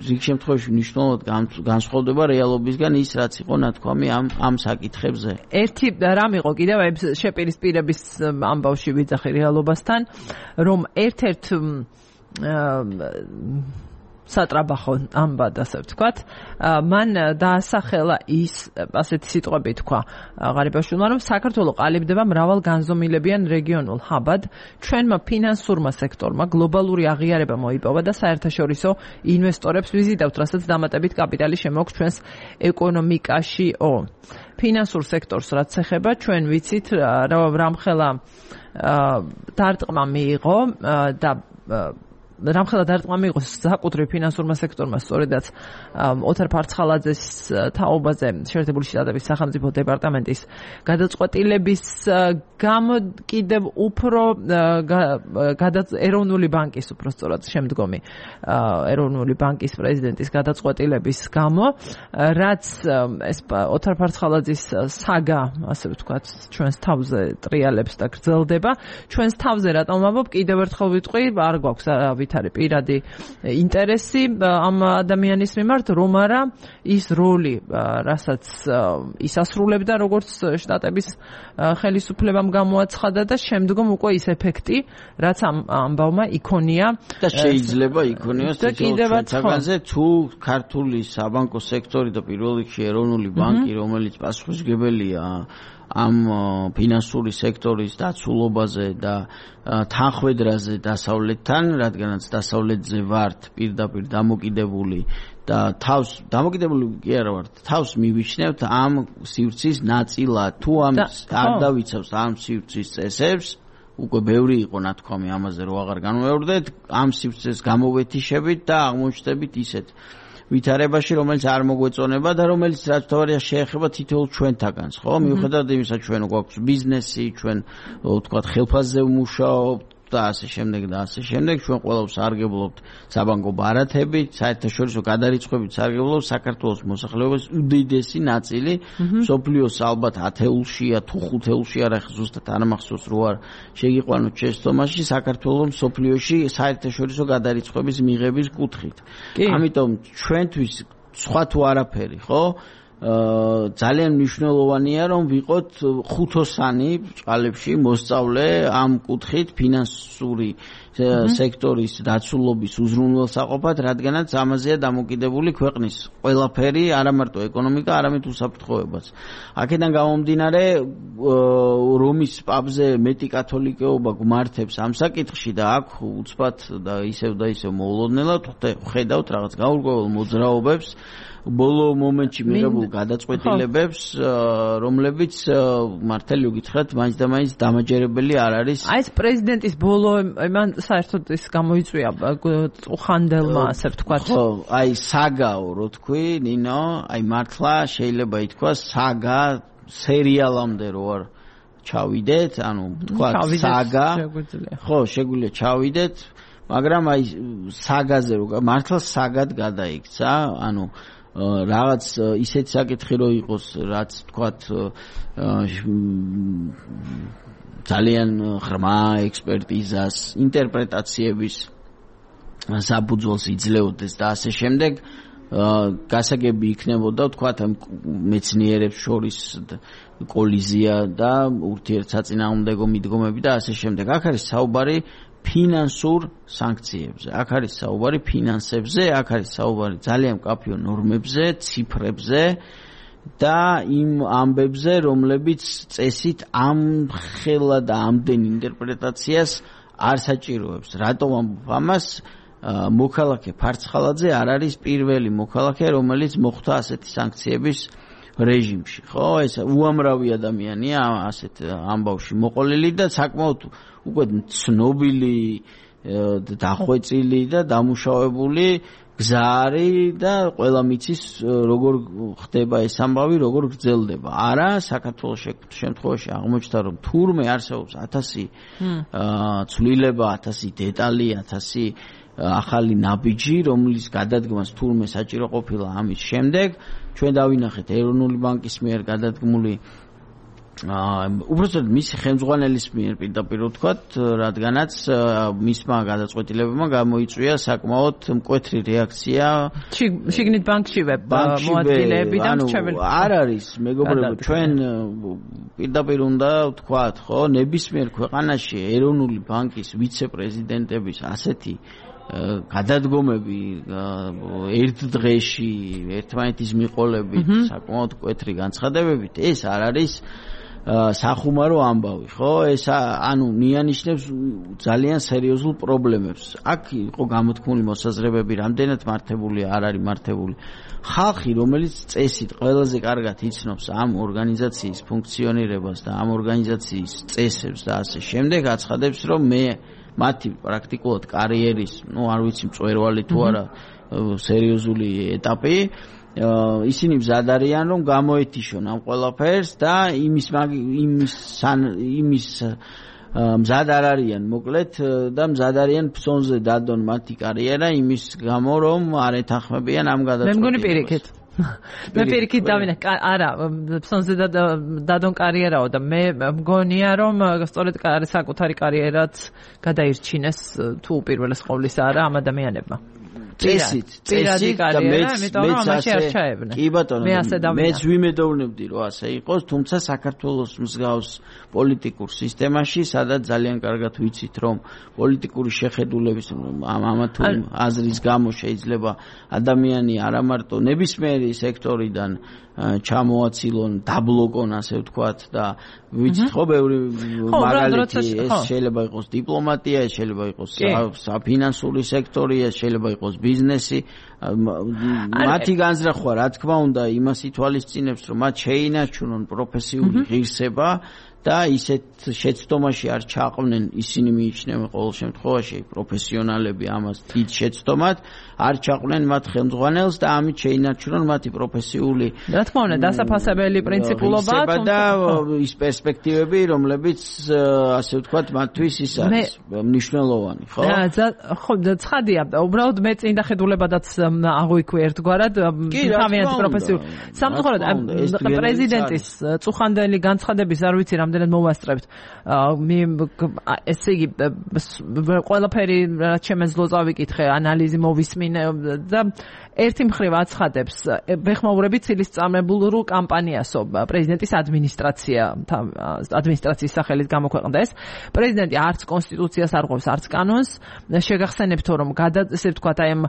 [SPEAKER 2] რიგ შემთხვევაში მნიშვნელოვნად განსხვავდება რეალობისგან ის, რაც იყო ნათქვამი ამ საკითხებზე.
[SPEAKER 1] ერთი რამ იყო კიდევ აი შეპირისპირების ამბავში ვიძახი რეალობასთან, რომ ერთ-ერთ სატრაბახო ამბად, ასე ვთქვათ, მან დაასახელა ის, ასეთი სიტყვები თქვა ღარიბაშვილმა, რომ საქართველო ყალიბდება მრავალ განზომილებიან რეგიონულ ჰაბად, ჩვენმა ფინანსურმა სექტორმა გლობალური აღიარება მოიპოვა და საერთაშორისო ინვესტორებს ვიზიტავთ, რასაც დამატებით კაპიტალი შემოაქვს ჩვენს ეკონომიკაშიო. ფინანსურ სექტორს რაც ეხება, ჩვენ ვიცით, რამხელა დარტყმა მიიღო და რამხელა დარტყმა მიიღო საკუთრივ ფინანსურმა სექტორმა, სწორედაც ოთარ ფარცხალაძეს თაობაზე შეერთებული შტატების სახელმწიფო დეპარტამენტის გადაწყვეტილების გამო კიდევ უფრო ეროვნული ბანკის უფრო სწორად შემდგომი ეროვნული ბანკის პრეზიდენტის გადაწყვეტილების გამო, რაც ეს ოთარ ფარცხალაძის საგა, ასე ვთქვათ, ჩვენს თავზე ტრიალებს და გრძელდება. ჩვენს თავზე რატომ ვამბობ, კიდევ ერთხელ ვიტყვი, არ გვაქვს ობით არის პირადი ინტერესი ამ ადამიანის მიმართ, რომ არა ის როლი, რასაც ის ასრულებდა როგორც შტატების ხელისუფლებამ გამოაცხადა და შემდგომ უკვე ის ეფექტი, რაც ამ ამბავმა იქონია
[SPEAKER 2] და შეიძლება იქონიოს თითოეულთაგანზე თუ ქართული საბანკო სექტორი და პირველ რიგში ეროვნული ბანკი, რომელიც პასუხისმგებელია ამ ფინანსური სექტორის დაცულობაზე და თანხმედრაზე დასავლეთთან, რადგანაც დასავლეთზე ვართ პირდაპირ დამოკიდებული და თავს დამოკიდებული კი არა ვართ, თავს მივიჩნევთ ამ სივრცის ნაწილად. თუ ამ არ დავიცავს ამ სივრცის წესებს, უკვე ბევრი იყო ნათქვამი ამაზე, რომ აღარ განვეორდეთ, ამ სივრცეს გამოვეთიშებით და აღმოჩნდებით ისეთ ვითარებაში, რომელიც არ მოგვეწონება და რომელიც რაც თავარია შეეხება თითოეულ ჩვენთაგანს, ხო? მიუხედავად იმისა, ჩვენ გვაქვს ბიზნესი, ჩვენ ვთქვათ ხელფასზე ვმუშაობთ და ასე შემდეგ და ასე შემდეგ, ჩვენ ყველავს სარგებლობთ საბანკო ბარათებით, საერთაშორისო გადარიცხვებით სარგებლობთ საქართველოს მოსახლეობის უდიდესი ნაწილი, მსოფლიოს ალბათ 10-ულშია თუ 5-ულში, არა ზუსტად არ მახსოვს რო არ შეგიყვანოთ შეცდომაში, საქართველოს მსოფლიოში საერთაშორისო გადარიცხვების მიღების კუთხით. ამიტომ ჩვენთვის სხვა თუ არაფერი, ხო? ძალიან მნიშვნელოვანია რომ ვიყოთ ხუთოსანი ბჭყალებში მოსწავლე ამ კუთხით ფინანსური სექტორის დაცულობის უზრუნველსაყოფად, რადგანაც ამაზეა დამოკიდებული ქვეყნის ყველაფერი, არა მარტო ეკონომიკა, არამედ უსაფრთხოებაც. აქედან გამომდინარე, რომის პაპზე მეტი კათოლიკეობა გვმართებს ამ საკითხში და აქ უცბად და ისევ მოულოდნელად ხედავთ რაღაც გაურკვეველ მოძრაობებს, ბოლო მომენტში მიღებულ გადაწყვეტილებებს, რომლებიც მართალი გითხრათ, მაინც და მაინც დამაჯერებელი არ არის.
[SPEAKER 1] აი ეს პრეზიდენტის ბოლო მან საერთოდ ის გამოიწვია ხანდელმა, ასე ვთქვათ.
[SPEAKER 2] ხო, აი საგაო რო თქვი, ნინო, აი მართლა შეიძლება ითქვას საგა სერიალამდე რო არ ჩავიდეთ, ანუ ვთქვათ საგა. ხო, შეგვიძლია ჩავიდეთ, მაგრამ აი საგაზე რო მართლა საგად გადაიქცა, ანუ რაღაც ისეთი საკითხი რო იყოს, რაც თქვათ ძალიან ღრმა ექსპერტიზას, ინტერპრეტაციების საფუძველს იძლეოდეს და ასე შემდეგ, გასაგები იქნებოდა თქვათ მეცნიერებს შორის კოლიზია და ურთიერთსაწინააღმდეგო მიდგომები და ასე შემდეგ. აქ არის საუბარი ფინანსურ სანქციებზე, აქ არის საუბარი ფინანსებზე, აქ არის საუბარი ძალიან მკაფიო ნორმებზე, ციფრებზე და იმ ამბებზე, რომლებიც წესით ამხელა და ამდენ ინტერპრეტაციას არ საჭიროებს. რატომ ამბობ ამას? მოქალაქე ფარცხალაძე არ არის პირველი მოქალაქე, რომელიც მოხვდა ასეთი სანქციების რეჟიმში, ხო? ეს უამრავი ადამიანია ასეთ ამბავში მოყოლილი და საკმაოდ უკვე ცნობილი, დახვეწილი და დამუშავებული გზარი და ყველა მიცის როგორ ხდება ეს ამბავი, როგორ გრძელდება. არა, საქართველოს შემთხვევაში აღმოჩნდა, რომ თურმე არსებობს 1000 ცვლილება, 1000 დეტალი, 1000 ახალი ნაბიჯი, რომლის გადადგმას თურმე საჭირო ყოფილა ამის შემდეგ. ჩვენ დავინახეთ ეროვნული ბანკის მიერ გადადგმული უბრალოდ მისი ხელმძღვანელის მიერ პირდაპირ ვთქვათ, რადგანაც მისმა გადაწყვეტილებებმა გამოიწვია საკმაოდ მკვეთრი რეაქცია
[SPEAKER 1] შიგნით ბანკშივე მოადგილეები და მრჩეველი.
[SPEAKER 2] არ არის, მეგობრებო, ჩვენ პირდაპირ უნდა ვთქვათ, ხო, ნებისმიერ ქვეყანაში ეროვნული ბანკის ვიცე-პრეზიდენტების ასეთი გადადგომები ერთ დღეში ერთმანეთის მიყოლებით, საკმაოდ მკვეთრი განცხადებებით, ეს არ არის სახუმარო ამბავი, ხო? ეს ანუ მიანიშნებს ძალიან სერიოზულ პრობლემებს. აქ იყო გამოთქმული მოსაზრებები, რამდენად მართებული არ არის მართებული. ხალხი, რომელიც წესით ყველაზე კარგად იცნობს ამ ორგანიზაციის ფუნქციონირებას და ამ ორგანიზაციის წესებს და ასე შემდეგ, აცხადებს, რომ მე მათი პრაქტიკულად კარიერის, არ ვიცი მწვერვალი თუ არა, სერიოზული ეტაპი, ისინი მზად არიან, რომ გამოეთიშონ ამ ყველაფერს და იმის მზად არ არიან, მოკლედ, და მზად არიან ფსონზე დადონ მათი კარიერა იმის გამო, რომ არ ეთანხმებიან ამ გადაწყვეტილებას.
[SPEAKER 1] მე მგონი პირიქით. მე პირიქით დავინა არა ფსონზე დადონ კარიერაო და მე მგონია რომ სწორედ საკუთარი კარიერაც გადაირჩინეს თუ უპირველეს ყოვლისა არა ამ ადამიანებმა
[SPEAKER 2] წესით და მეც კი ბატონო მეც ვიმედოვნებდი რომ ასე იყოს თუმცა საქართველოს მსგავს პოლიტიკურ სისტემაში სადაც ძალიან კარგად ვიცით რომ პოლიტიკური შეხედულების ამა თუ აზრის გამო შეიძლება ადამიანი არა მარტო ნებისმიერი სექტორიდან ჩამოაცილონ დაბლოკონ ასე ვთქვათ და ვიცით ხო ბევრი მაგალითი ეს შეიძლება იყოს დიპლომატია ეს შეიძლება იყოს საფინანსური სექტორი ეს შეიძლება იყოს ბიზნესი მათი განზრახვა რა თქმა უნდა იმას ითვალისწინებს რომ მათ შეინარჩუნონ პროფესიული ღირსება და ისეთ შეცდომაში არ ჩაყვნენ ისინი მიიჩნევენ ყოველ შემთხვევაში პროფესიონალები ამას დიდ შეცდომად არ ჩაყვნენ მათ ხელმძღვანელს და ამით შეინარჩუნონ მათი პროფესიული
[SPEAKER 1] რა თქმა უნდა დასაფასებელი პრინციპულობა
[SPEAKER 2] და ის პერსპექტივები რომლებიც ასე ვთქვათ მათთვის ის არის მნიშვნელოვანი ხო
[SPEAKER 1] ხო ცხადია უბრალოდ მე წინ დახედულებადაც აღვიქვი ერთგვარად თავიანთი პროფესიული სამწუხაროდ პრეზიდენტის წუხანდელი განცხადების არ ვიცი რამდენად მოვასწრებთ ესე იგი ყველაფერი რაც შემეძლო წავიკითხე ანალიზი მოვისმინე და ერთი მხრივ აცხადებს ბეხმაურები ცილის წამებულ კამპანიასო პრეზიდენტის ადმინისტრაციის სახელით გამოქვეყნდა ეს პრეზიდენტი არც კონსტიტუციას არ ღვევს არც კანონს შეგახსენებთო რომ ესე ვთქვათ აი ამ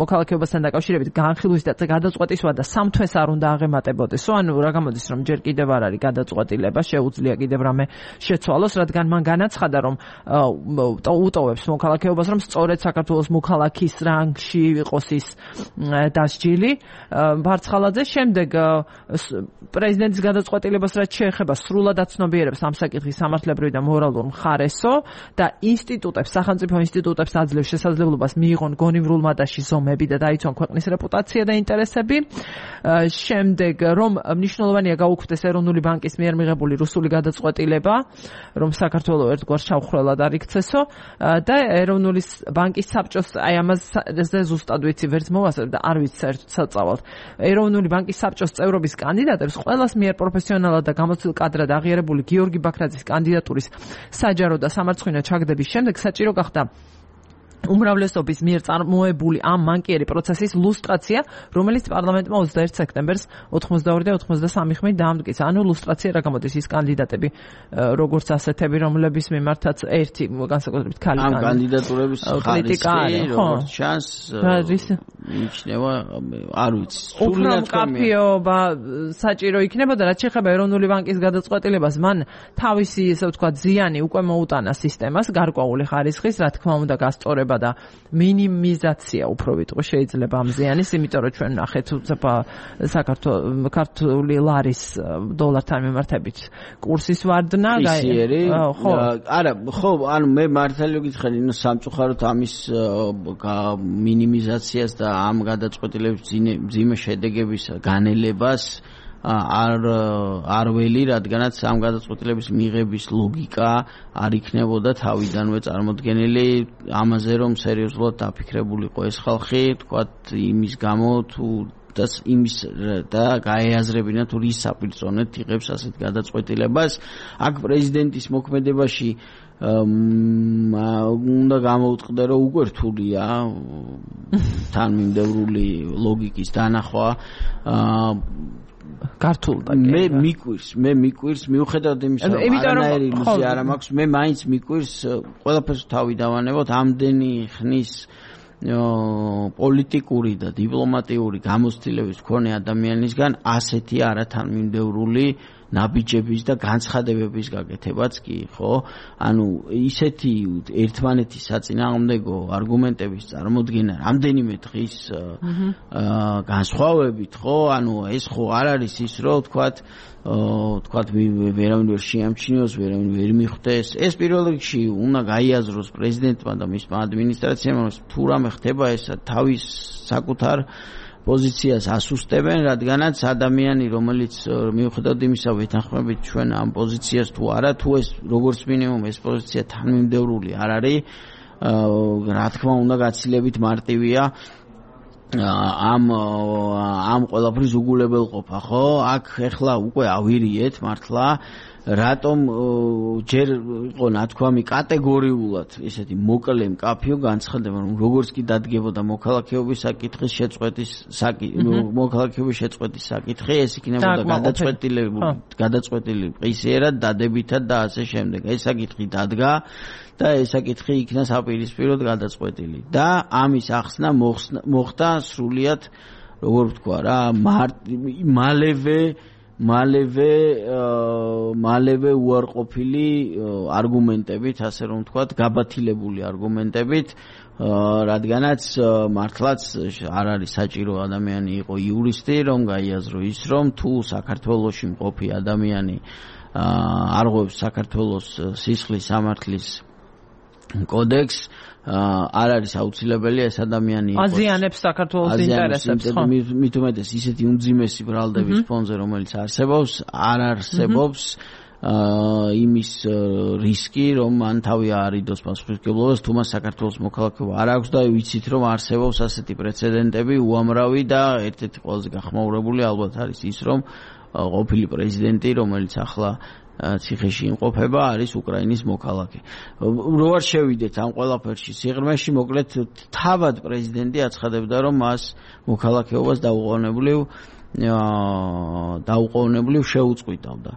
[SPEAKER 1] მოქალაქეობასთან დაკავშირებით განხილვის და გადაწყვეტის ვადა 3 თვეს არ უნდა აღემატებოდესო ანუ რა გამოდის რომ ჯერ კიდევ არ არის გადაწყვეტილება შეუძლია კიდევ რამე შეცვალოს რადგან მან განაცხადა რომ უტოვებს მოქალაქეობას რომ სწორედ საქართველოს მოქალაქის რანგში იყოს ის დასჯილი ბარცხალაძე შემდეგ პრეზიდენტის გადაწყვეტილებას რაც შეეხება სრულად აცნობიერებს ამ საკითხის სამართლებრივი და მორალურ მხარესო და ინსტიტუტებს სახელმწიფო ინსტიტუტებს აძლევს შესაძლებლობას მიიღონ გონივრულ მატაში ზომები და დაიცვან ქვეყნის რეპუტაცია და ინტერესები შემდეგ რომ მნიშვნელოვანია გაუქმდეს ეროვნული ბანკის მიერ მიღებული რუსული გადაწყვეტილება რომ საქართველოს ერთგვარ შავხრელად არ იქცესო და ეროვნული ბანკის საბჭოს აი ამას ზუსტად ვიცი ვერც მოვასწრებ და არ ვიცი საერთოდ საწავალთ ეროვნული ბანკის საბჭოს წევრობის კანდიდატებს ყველას მიერ პროფესიონალად და გამოცდილ კადრად აღიარებული გიორგი ბაქრაძის კანდიდატურის საჯარო და სამარცხვინო ჩაგდების შემდეგ საჭირო გახდა უმრავლესობის მიერ წარმოებული ამ მანკიერი პროცესის ლუსტრაცია, რომელიც პარლამენტმა 21 სექტემბერს 82 და 83 ხმით დაამტკიცა. ანუ ლუსტრაცია რა გამოდის ის კანდიდატები, როგორც ასეთები, რომლების მიმართაც ერთი განსაკუთრებით ქალი
[SPEAKER 2] ამ კანდიდატურების ხარისხი, როგორც ჩანს, მიიჩნევა, არ ვიცი.
[SPEAKER 1] სულიად კაფეობა საჭირო იქნებოდა, რაც შეეხება ეროვნული ბანკის გადაწყვეტილებას, მან თავისი, ესე ვთქვათ, ზიანი უკვე მოუტანა სისტემას, გარკვეული ხარისხის, რა თქმა უნდა, გასწორება და მინიმიზაცია უფრო ვიტყვი შეიძლება ამ ზიანის, იმიტომ რომ ჩვენ ნახეთ საქართველოს ლარის დოლართან მიმართებით კურსის ვარდნა
[SPEAKER 2] ხო არა ხო ანუ მე მართალი გითხრა სამწუხაროდ ამის მინიმიზაციას და ამ გადაწყვეტილების მძიმე შედეგების განელებას არ ველი, რადგანაც ამ გადაწყვეტილების მიღების ლოგიკა არ იქნებოდა თავიდანვე წარმოდგენილი ამაზე, რომ სერიოზულად დაფიქრებულიყო ეს ხალხი, თქვათ იმის გამო თუ იმის და გაეაზრებინა თუ რის საპირწონედ იღებს ასეთ გადაწყვეტილებას. აქ პრეზიდენტის მოქმედებაში უნდა გამოუწყდა, რომ უკვე რთულია თანმიმდევრული ლოგიკის დანახვა
[SPEAKER 1] ქართულ და
[SPEAKER 2] მე მიკვირს მიუხედავად იმისა რომ არანაირი ილუზია არ მაქვს მე მაინც მიკვირს ყველაფერს თავი დავანებოთ ამდენი ხნის პოლიტიკური და დიპლომატიური გამოცდილების მქონე ადამიანისგან ასეთი არათანმიმდევრული ნაბიჯების და განცხადებების გაკეთებაც კი ხო ანუ ისეთი ერთმანეთის საწინააღმდეგო არგუმენტების წარმოდგენა რამდენიმე დღის განსხვავებით ხო ანუ ეს ხო არ არის ის რომ თქვათ ვერავინ ვერ შეამჩნიოს ვერავინ ვერ მიხვდეს ეს პირველ რიგში უნდა გაიაზროს პრეზიდენტმა და მისმა ადმინისტრაციამ თუ რამე ხდება ეს თავის საკუთარ პოზიციას ასუსტებენ, რადგანაც ადამიანი, რომელიც მიუხედავად იმისა, ვეთანხმებით ჩვენ ამ პოზიციას თუ არა, თუ ეს როგორც მინიმუმ ეს პოზიცია თანმიმდევრული არ არის, რა თქმა უნდა, გაცილებით მარტივია ამ ყველაფრის უგულებელყოფა, ხო? აქ ეხლა უკვე ავირიეთ მართლა რატომ ჯერ იყო ნათქვამი კატეგორიულად ესეთი მოკლე მკაფიო განცხადება, რომ როგორც კი დადგებოდა მოქალაქეობის საკითხის შეწყვეტის მოქალაქეობის შეწყვეტის საკითხი, ეს იქნებოდა გადაწყვეტილი პრიზიერად, დადებითად და ასე შემდეგ. ეს საკითხი დადგა და ეს საკითხი იქნა საპირისპიროდ გადაწყვეტილი. და ამის ახსნა მოხდა სრულიად, როგორ ვთქვა რა, მალევე უარყოფილი არგუმენტებით, ასე რომ ვთქვათ, გაბათილებული არგუმენტებით, რადგანაც მართლაც არ არის საჭირო ადამიანი იყო იურისტი, რომ გაიაზრო ის, რომ თუ საქართველოში მყოფი ადამიანი არღვევს საქართველოს სისხლის სამართლის კოდექსს, არ არის აუცილებელი ეს ადამიანი იყოს
[SPEAKER 1] აზიანებს საქართველოს ინტერესებს, ხო?
[SPEAKER 2] მით უმეტეს ისეთი უმძიმესი ბრალდების ფონზე, რომელიც არსებობს, არ არსებობს იმის რისკი, რომ მან თავი აარიდოს პასუხისმგებლობას, თუ მას საქართველოს მოქალაქეობა არ აქვს და ვიცით, რომ არსებობს ასეთი პრეცედენტები უამრავი და ერთ-ერთი ყველაზე გახმაურებული ალბათ არის ის, რომ ყოფილი პრეზიდენტი, რომელიც ახლა ციხეში იმყოფება, არის უკრაინის მოქალაქე. რო არ შევიდეთ ამ ყველაფერში სიღრმეში, მოკლედ თავად პრეზიდენტი აცხადებდა, რომ მას მოქალაქეობას დაუყოვნებლივ შეუწყვიტავდა.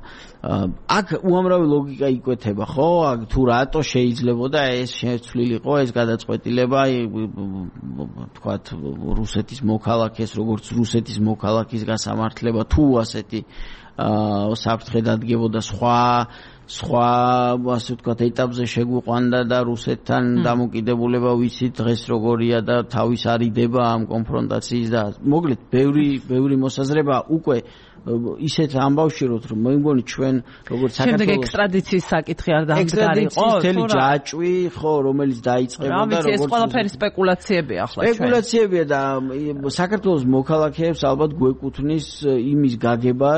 [SPEAKER 2] აქ უამრავი ლოგიკა იკვეთება, ხო? თუ რატო შეიძლებოდა ეს შეცვლილიყო ეს გადაწყვეტილება, თქვათ, რუსეთის მოქალაქეს, როგორც რუსეთის მოქალაქის გასამართლება, თუ ასეთი საფრთხე დადგებოდა სხვა ასე ვთქვათ ეტაპზე შეგვიყვანდა და რუსეთთან დამოკიდებულება ვიცით დღეს როგორია და თავის არიდება ამ კონფრონტაციის და მოკლედ ბევრი მოსაზრება უკვე ისეთ ამბავშიროთ, რომ მე მგონი ჩვენ როგორც საქართველოს
[SPEAKER 1] შემდეგ ექსტრადიციის საკითხი არ დამდგარიყო,
[SPEAKER 2] თელი ჯაჭვი, ხო, რომელიც დაიწყებოდა
[SPEAKER 1] როგორც ეს ყველაფერი სპეკულაციები ახლა ჩვენ.
[SPEAKER 2] სპეკულაციებია და საქართველოს მოქალაქეებს ალბათ გვეკუთვნის იმის გაგება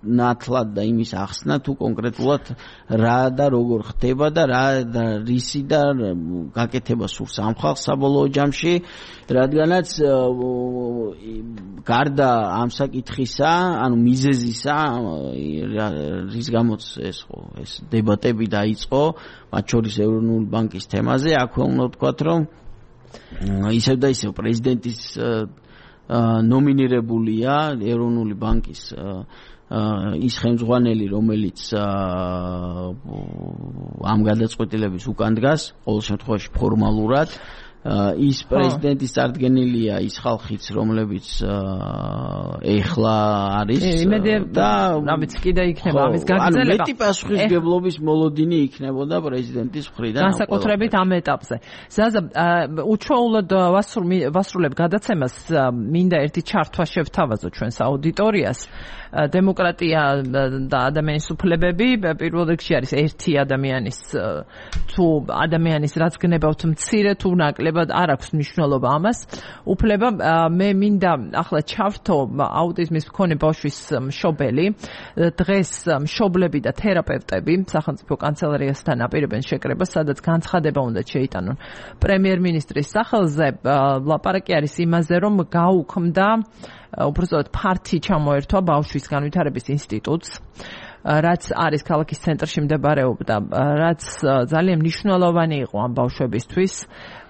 [SPEAKER 2] ნათლად და იმის ახსნა თუ კონკრეტულად რა და როგორ ხდება და რისი და გაკეთება სურს ამ ხალხს საბოლოო ჯამში, რადგანაც გარდა ამ საკითხისა, ანუ მიზეზისა, რის გამოც ეს დებატები დაიწყო, მათ შორის ეროვნული ბანკის თემაზე, აქვე უნდა ვთქვათ, რომ ისევ და ისევ პრეზიდენტის ნომინირებულია ეროვნული ბანკის ის ხელმძღვანელი, რომელიც ამ გადაწყვეტილების უკან დგას, ყოველ შემთხვევაში ფორმალურად, ის პრეზიდენტის წარდგენილია ის ხალხიც, რომლებიც ეხლა არის
[SPEAKER 1] და ამით კიდე იქნება ამის გაგრძელება.
[SPEAKER 2] ანუ მეტი პასუხისმგებლობის მოლოდინი იქნებოდა პრეზიდენტის მხრიდან.
[SPEAKER 1] განსაკუთრებით ამ ეტაპზე. ზაზა, უჩვეულოდ ვასრულებ გადაცემას, მინდა ერთი ჩართვა შევთავაზო ჩვენს აუდიტორიას. დემოკრატია და ადამიანის უფლებები პირველ რიგში არის ერთი ადამიანის თუ ადამიანის რაც გნებავთ მცირე თუ ნაკლებად არ აქვს მნიშვნელობა ამას უფლება მე მინდა ახლა ჩავთო აუტიზმის მქონე ბავშვის მშობელი დღეს მშობლები და თერაპევტები სახელმწიფო კანცელარიასთან აპირებენ შეკრებას სადაც განცხადება უნდა შეიტანონ პრემიერ-მინისტრის სახელზე ლაპარაკი არის იმაზე რომ გაუქმდა უბრალოდ ფართი ჩამოერთვა ბავშვის განვითარების ინსტიტუტს რაც არის ქალაქის ცენტრში მდებარეობდა რაც ძალიან მნიშვნელოვანი იყო ამ ბავშვებისთვის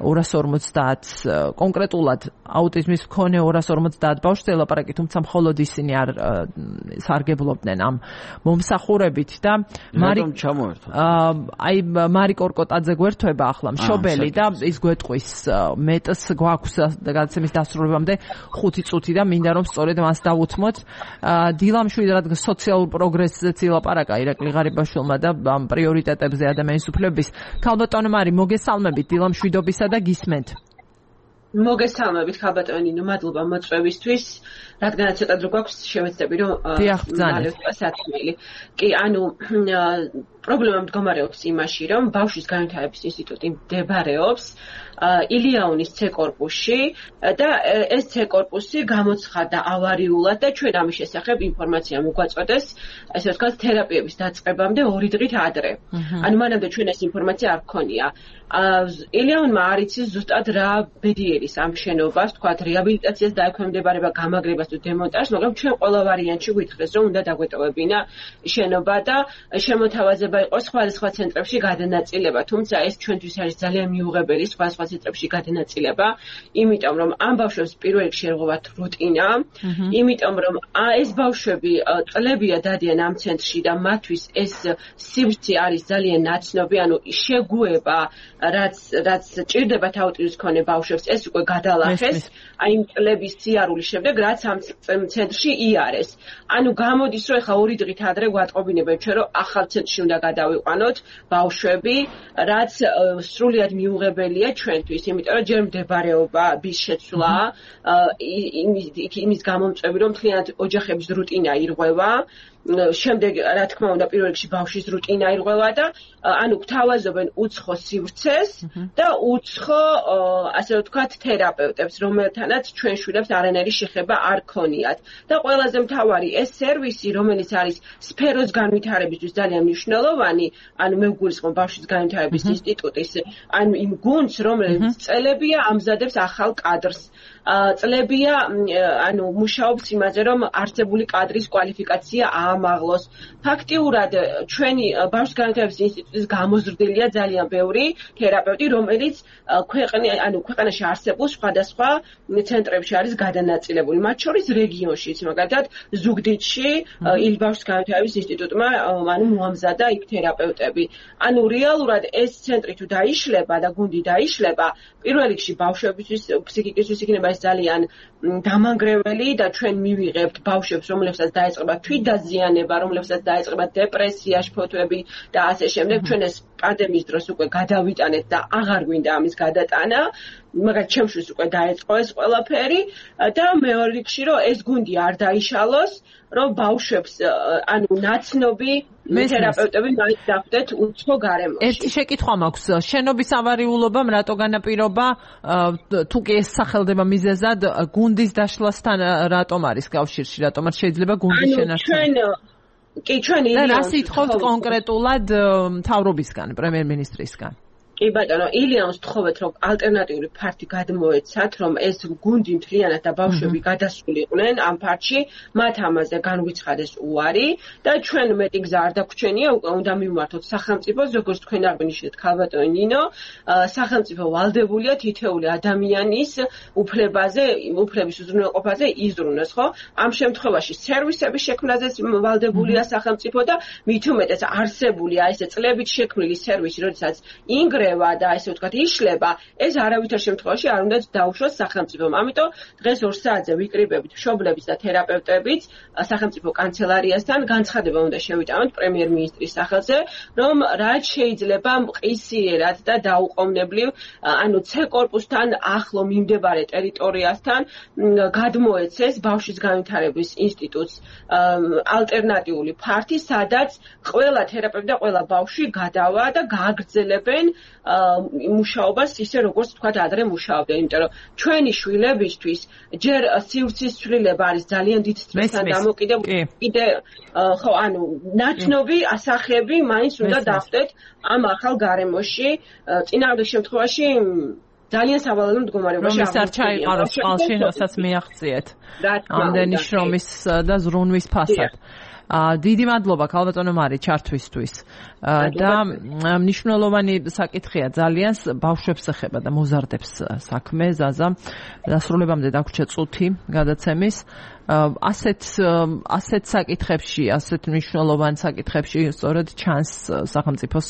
[SPEAKER 1] 250 კონკრეტულად აუტიზმის მქონე 250 ბავშვზე ლაპარაკი თუმცა მხოლოდ ისინი არ სარგებლობდნენ ამ მომსახურებით და
[SPEAKER 2] რატომ ჩამოერთვა
[SPEAKER 1] აი მარი კორკოტაძე გვერდება ახლა მშობელი და ის გვეტყვის მეტს გვაქვს გადაცემის დასრულებამდე 5 წუთი და მინდა რომ სწორედ მას დავუთმოთ დილამშვიდ რადგან სოციალურ პროგრესზე ლაპარაკა ირაკლი ღარიბაშვილმა და ამ პრიორიტეტებზე ადამიანის უფლებების ქალბატონო მარი მოგესალმებით დილამშვიდობისა და გისმენთ
[SPEAKER 3] მოგესალმებით ქალბატონინო მადლობა მოწვევისთვის რადგანაც ცოტა დრო გვაქვს შევეცდები რომ სათქმელი კი ანუ პრობლემა მდგომარეობს იმაში რომ ბავშვის განვითარების ინსტიტუტი მდებარეობს ილიანის C კორპუსში და ეს C კორპუსი გამოცხადდა ავარიულად და ჩვენ ამის შესახებ ინფორმაცია მოგვაწოდეს ესე ვთქვათ თერაპიების დაწყებამდე 2 დღით ადრე ანუ მანამდე ჩვენ ეს ინფორმაცია არ გქონია ილიანმა არ იცის ზუსტად რა ბედი მიუღირის ამ შენობას, თქვათ რეაბილიტაციას დაექვემდებარება, გამაგრებას თუ დემონტაჟს, მაგრამ ჩვენ ყველა ვარიანტში გითხრეს, რომ უნდა დაგვეტოვებინა შენობა და შემოთავაზება იყოს სხვადასხვა ცენტრებში გადანაწილება, თუმცა ეს ჩვენთვის არის ძალიან მიუღებელი სხვადასხვა ცენტრებში გადანაწილება, იმიტომ რომ ამ ბავშვებს პირველ რიგში ერღვევათ რუტინა, იმიტომ რომ ეს ბავშვები წლებია დადიან ამ ცენტრში და მათთვის ეს სივრცე არის ძალიან ნაცნობი, ანუ შეგუება, რაც ჭირდებათ აუტიზმის მქონე ბავშვებს, ეს უკვე გადალახეს, აი იმ წლების სიარულის შემდეგ, რაც ამ ცენტრში იარეს. ანუ გამოდის, რომ ეხლა 2 დღით ადრე გვატყობინებენ ჩვენ, რომ ახალ ცენტრში უნდა გადავიყვანოთ ბავშვები, რაც სრულიად მიუღებელია ჩვენთვის, იმიტომ რომ ჯერ მდებარეობის შეცვლა, იმის გამომწვევი, რომ მთლიანად ოჯახების რუტინა ირღვევა, შემდეგ რა თქმა უნდა პირველ რიგში ბავშვის რუტინა ირღვევა და ანუ გვთავაზობენ უცხო სივრცეს და უცხო ასე ვთქვათ თერაპევტებს, რომელთანაც ჩვენ შვილებს არანაირი შეხება არ ქონიათ. და ყველაზე მთავარი ეს სერვისი, რომელიც არის სფეროს განვითარებისთვის ძალიან მნიშვნელოვანი, ანუ მე ვგულისხმობ ბავშვის განვითარების ინსტიტუტის, ანუ იმ გუნდს, რომელიც წელებია ამზადებს ახალ კადრს. წლებია ანუ მუშაობს იმაზე, რომ არსებული კადრის კვალიფიკაცია აამაღლოს. ფაქტიურად ჩვენი ბავშვის განვითარების ინსტიტუტის გამოზრდილია ძალიან ბევრი თერაპევტი, რომელიც ქვეყანაში არსებულ სხვადასხვა ცენტრებში არის გადანაწილებული. მათ შორის რეგიონშიც, მაგალითად, ზუგდიდში ბავშვის განვითარების ინსტიტუტმა მოამზადა იქ თერაპევტები. ანუ რეალურად ეს ცენტრი თუ დაიშლება და გუნდი დაიშლება, პირველ რიგში ბავშვებისთვის ფსიქიკისთვის იქნება ეს ძალიან დამანგრეველი და ჩვენ მივიღებთ ბავშვებს, რომლებსაც დაეწყება თვითდაზიანება, რომლებსაც დაეწყება დეპრესია, შფოთვები და ასე შემდეგ. ჩვენ ეს პანდემიის დროს უკვე გადავიტანეთ და აღარ გვინდა ამის გადატანა. მაგრამ ჩემთვის უკვე დაეწყო ეს ყველაფერი და მეორე რიგში რომ ეს გუნდი არ დაიშალოს, რომ ბავშვებს ანუ ნაცნობი თერაპევტები მაინც დახვდეთ უცხო გარემოში.
[SPEAKER 1] ერთი შეკითხვა მაქვს, შენობის ავარიულობამ რატო განაპირობა, თუ კი ეს სახელდება მიზეზად, გუნდის დაშლასთან რატომ არის კავშირში, რატომ არ შეიძლება გუნდის შენარჩუნა?
[SPEAKER 3] ჩვენ
[SPEAKER 1] და რას ითხოვთ კონკრეტულად მთავრობისგან, პრემიერ-მინისტრისგან?
[SPEAKER 3] კი ბატონო, ილიანს თხოვეთ, რომ ალტერნატიული ფართი გადმოეცათ, რომ ეს გუნდი მთლიანად და ბავშვები გადასულიყვნენ ამ ფართში, მათ ამაზე განვიცხადეს უარი და ჩვენ მეტი გზა არ დაგვჩენია, უნდა მივმართოთ სახელმწიფოს, როგორც თქვენ აღნიშნეთ, ქალბატონი ნინო, სახელმწიფო ვალდებულია თითოეული ადამიანის უფლებაზე, უფლების უზრუნველყოფაზე იზრუნოს, ხო? ამ შემთხვევაში სერვისების შექმნაზეც ვალდებულია სახელმწიფო და მით უმეტეს არსებულია ესე წლებით შექმნილი სერვისი, როდესაც და ესე ვთქვათ იშლება, ეს არავითარ შემთხვევაში არ უნდა დაუშვოს სახელმწიფომ. ამიტომ დღეს 2 საათზე ვიკრიბებით მშობლების და თერაპევტებით სახელმწიფო კანცელარიასთან განცხადება უნდა შევიტანოთ პრემიერ-მინისტრის სახელზე, რომ რაც შეიძლება მყისიერად და დაუყოვნებლივ, ანუ C-კორპუსთან ახლო მიმდებარე ტერიტორიასთან გადმოეცეს ბავშვის განვითარების ინსტიტუტს ალტერნატიული ფართი, სადაც ყველა თერაპევტი და ყველა ბავშვი გადავა და გააგრძელებენ მუშაობას ისე როგორც თქვა ადრე მუშაობდნენ, იმიტომ რომ ჩვენი შვილებისთვის ჯერ სივრცის ცვლილება არის ძალიან დიდ სტრესთან დამოკიდებული. კიდე ხო, ანუ ნაცნობი ასახები მაინც უნდა დახვდეთ ამ ახალ გარემოში. წინააღმდეგ შემთხვევაში ძალიან სავალალო მდგომარეობაში
[SPEAKER 1] არ ჩაიყაროს წყალში, რასაც მიაღწიეთ. ამდენი შრომის და ზრუნვის ფასად. დიდი მადლობა ქალბატონო მარი ჩართვისთვის და მნიშვნელოვანი საკითხია ძალიან ბავშვებს ეხება და მოზარდებს საქმე ზაზა დასრულებამდე დაგვრჩა წუთი გადაცემის ასეთ საკითხებში ასეთ მნიშვნელოვან საკითხებში სწორედ ჩანს სახელმწიფოს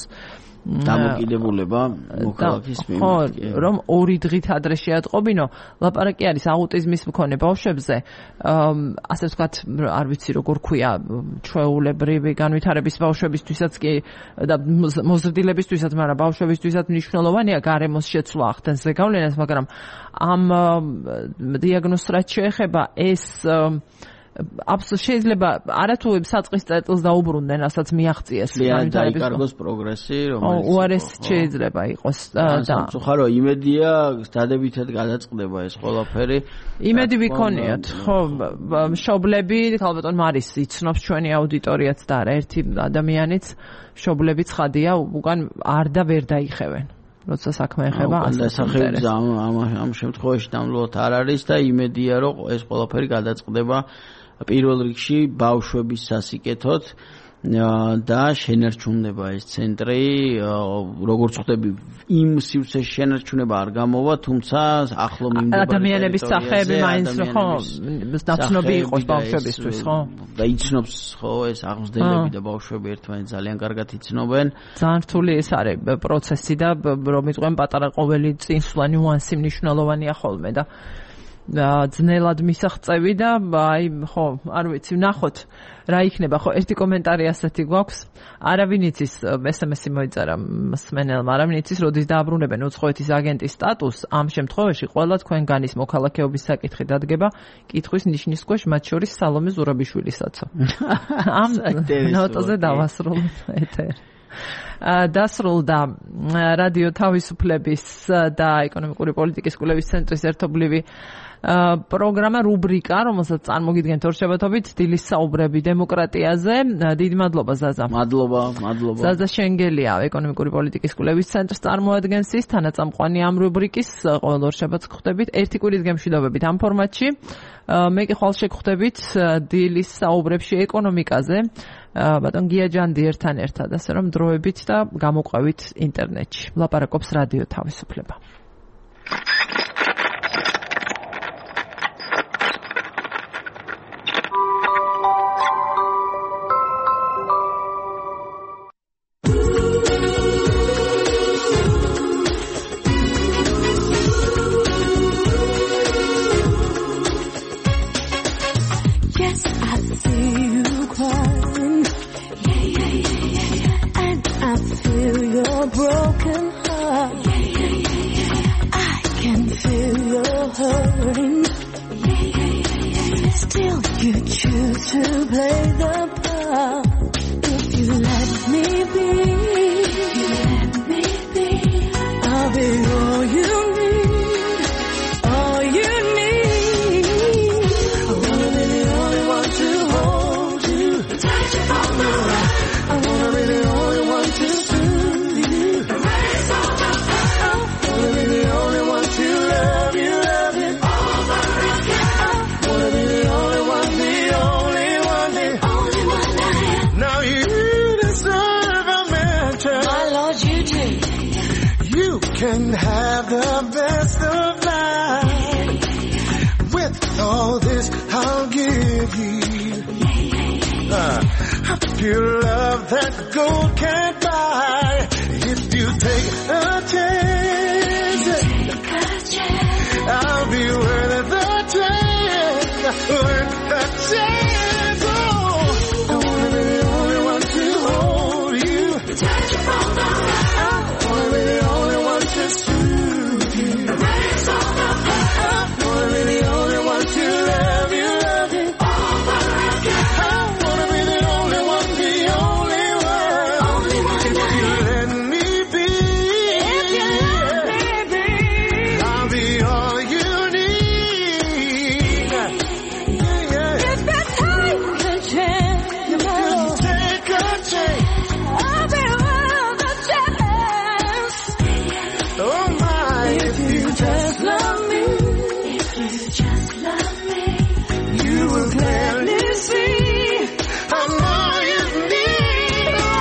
[SPEAKER 2] დამოკიდებულება მოქალაქის
[SPEAKER 1] მიმართ. რომ 2 დღით ადრე შეატყობინო, ლაპარაკი არის აუტიზმის მქონე ბავშვებზე, ასე ვთქვათ, არ ვიცი როგორ ქვია, ჩვეულებრივი განვითარების ბავშვებისთვისაც კი და მოზრდილებისთვისაც, მაგრამ ბავშვებისთვისაც მნიშვნელოვანია გარემოს შეცვლა ახდენს ზეგავლენას, მაგრამ ამ დიაგნოზს რაც შეეხება ეს შეიძლება არათუ საწყის წერტილს დაუბრუნდნენ, რასაც მიაღწიეს
[SPEAKER 2] განვითარების პროგრესი, რომელიც
[SPEAKER 1] უარესი შეიძლება იყოს და
[SPEAKER 2] ხარო იმედია დადებითად გადაწყდება ეს ყველაფერი.
[SPEAKER 1] იმედი ვიქონიათ, ხო, მშობლები, ქალბატონ მარის იცნობს ჩვენი აუდიტორიაც და არა ერთი ადამიანიც, მშობლები ცხადია, უკან არ და ვერ დაიხევენ. როცა საქმე ეხება
[SPEAKER 2] ასაკებს ამ შემთხვევაში დამლოთ არ არის და იმედია რომ ეს ყველაფერი გადაწყდება პირველ რიგში ბავშვების სასიკეთოდ და შენარჩუნება ეს ცენტრი როგორც ხვდები იმ სივრცეში შენარჩუნება არ გამოვა თუმცა ახლო მიმდებარე
[SPEAKER 1] ადამიანების სახეები მაინც ხო ნაცნობი იყოს ბავშვებისთვის ხო
[SPEAKER 2] და იცნობს ხო ეს აღმზრდელები და ბავშვები ერთმანეთს ძალიან კარგად იცნობენ
[SPEAKER 1] ძალიან რთული ეს არის პროცესი და რომ იყვენ პატარა ყოველი წინსვლანი უანსი მნიშვნელოვანია ხოლმე და ძნელად მისაღწევი და აი ხო არ ვიცი ვნახოთ რა იქნება ხო ერთი კომენტარი ასეთი გვაქვს არავინ იცის SMS-ი მოიწერა მსმენელმა არავინ იცის როდის დააბრუნებენ უცხოეთის აგენტის სტატუსს ამ შემთხვევაში ყველა თქვენგანის მოქალაქეობის საკითხი დადგება კითხვის ნიშნის ქვეშ მათ შორის სალომე ზურაბიშვილისაცო ამ ნოტაზე დავასრულოთ ეთერი დასრულდა რადიო თავისუფლების და ეკონომიკური პოლიტიკის კვლევის ცენტრის ერთობლივი პროგრამა რუბრიკა, რომელსაც წარმოგიდგენთ ორშაბათობით დილის საუბრები დემოკრატიაზე. დიდი მადლობა ზაზა.
[SPEAKER 2] მადლობა.
[SPEAKER 1] ზაზა შენგელია ეკონომიკური პოლიტიკის კვლევის ცენტრს წარმოადგენს ის თანაწამყვანი ამ რუბრიკის ყოველ ორშაბათს გხვდებით ერთი კვირის გემშვიდობებით ამ ფორმატში. მე კი ხვალ შეგხვდებით დილის საუბრებში ეკონომიკაზე. ბატონ გიაჯანდი ერთად ასე რომ დროებით და გამოყვებით ინტერნეტში. ლაპარაკობს რადიო თავისუფლება.
[SPEAKER 4] Broken heart. I can feel your hurting. Still you choose to play the part. If you let me be, I'll be all you need, all you need. I wanna be the only one to hold you, touch you from the right. I wanna be the only one to can have the best of life. With all this I'll give you a pure love that gold can't buy. If you take a chance, I'll be worth the chance, worth the chance. Oh, I wanna be the only one to hold you, touch you from the right. I wanna be the only one to soothe you, raise all the fire. I wanna be the only one to love you over again. I wanna be the only one, the only one. If you let me be, I'll be all you need. If you take a chance, take a chance. I'll be worth a chance. Oh my, if you just love me, you will clearly see I'm all you need. I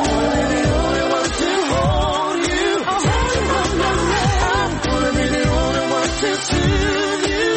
[SPEAKER 4] wanna be the only one to hold you, I wanna be the only one to soothe you.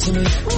[SPEAKER 4] to me.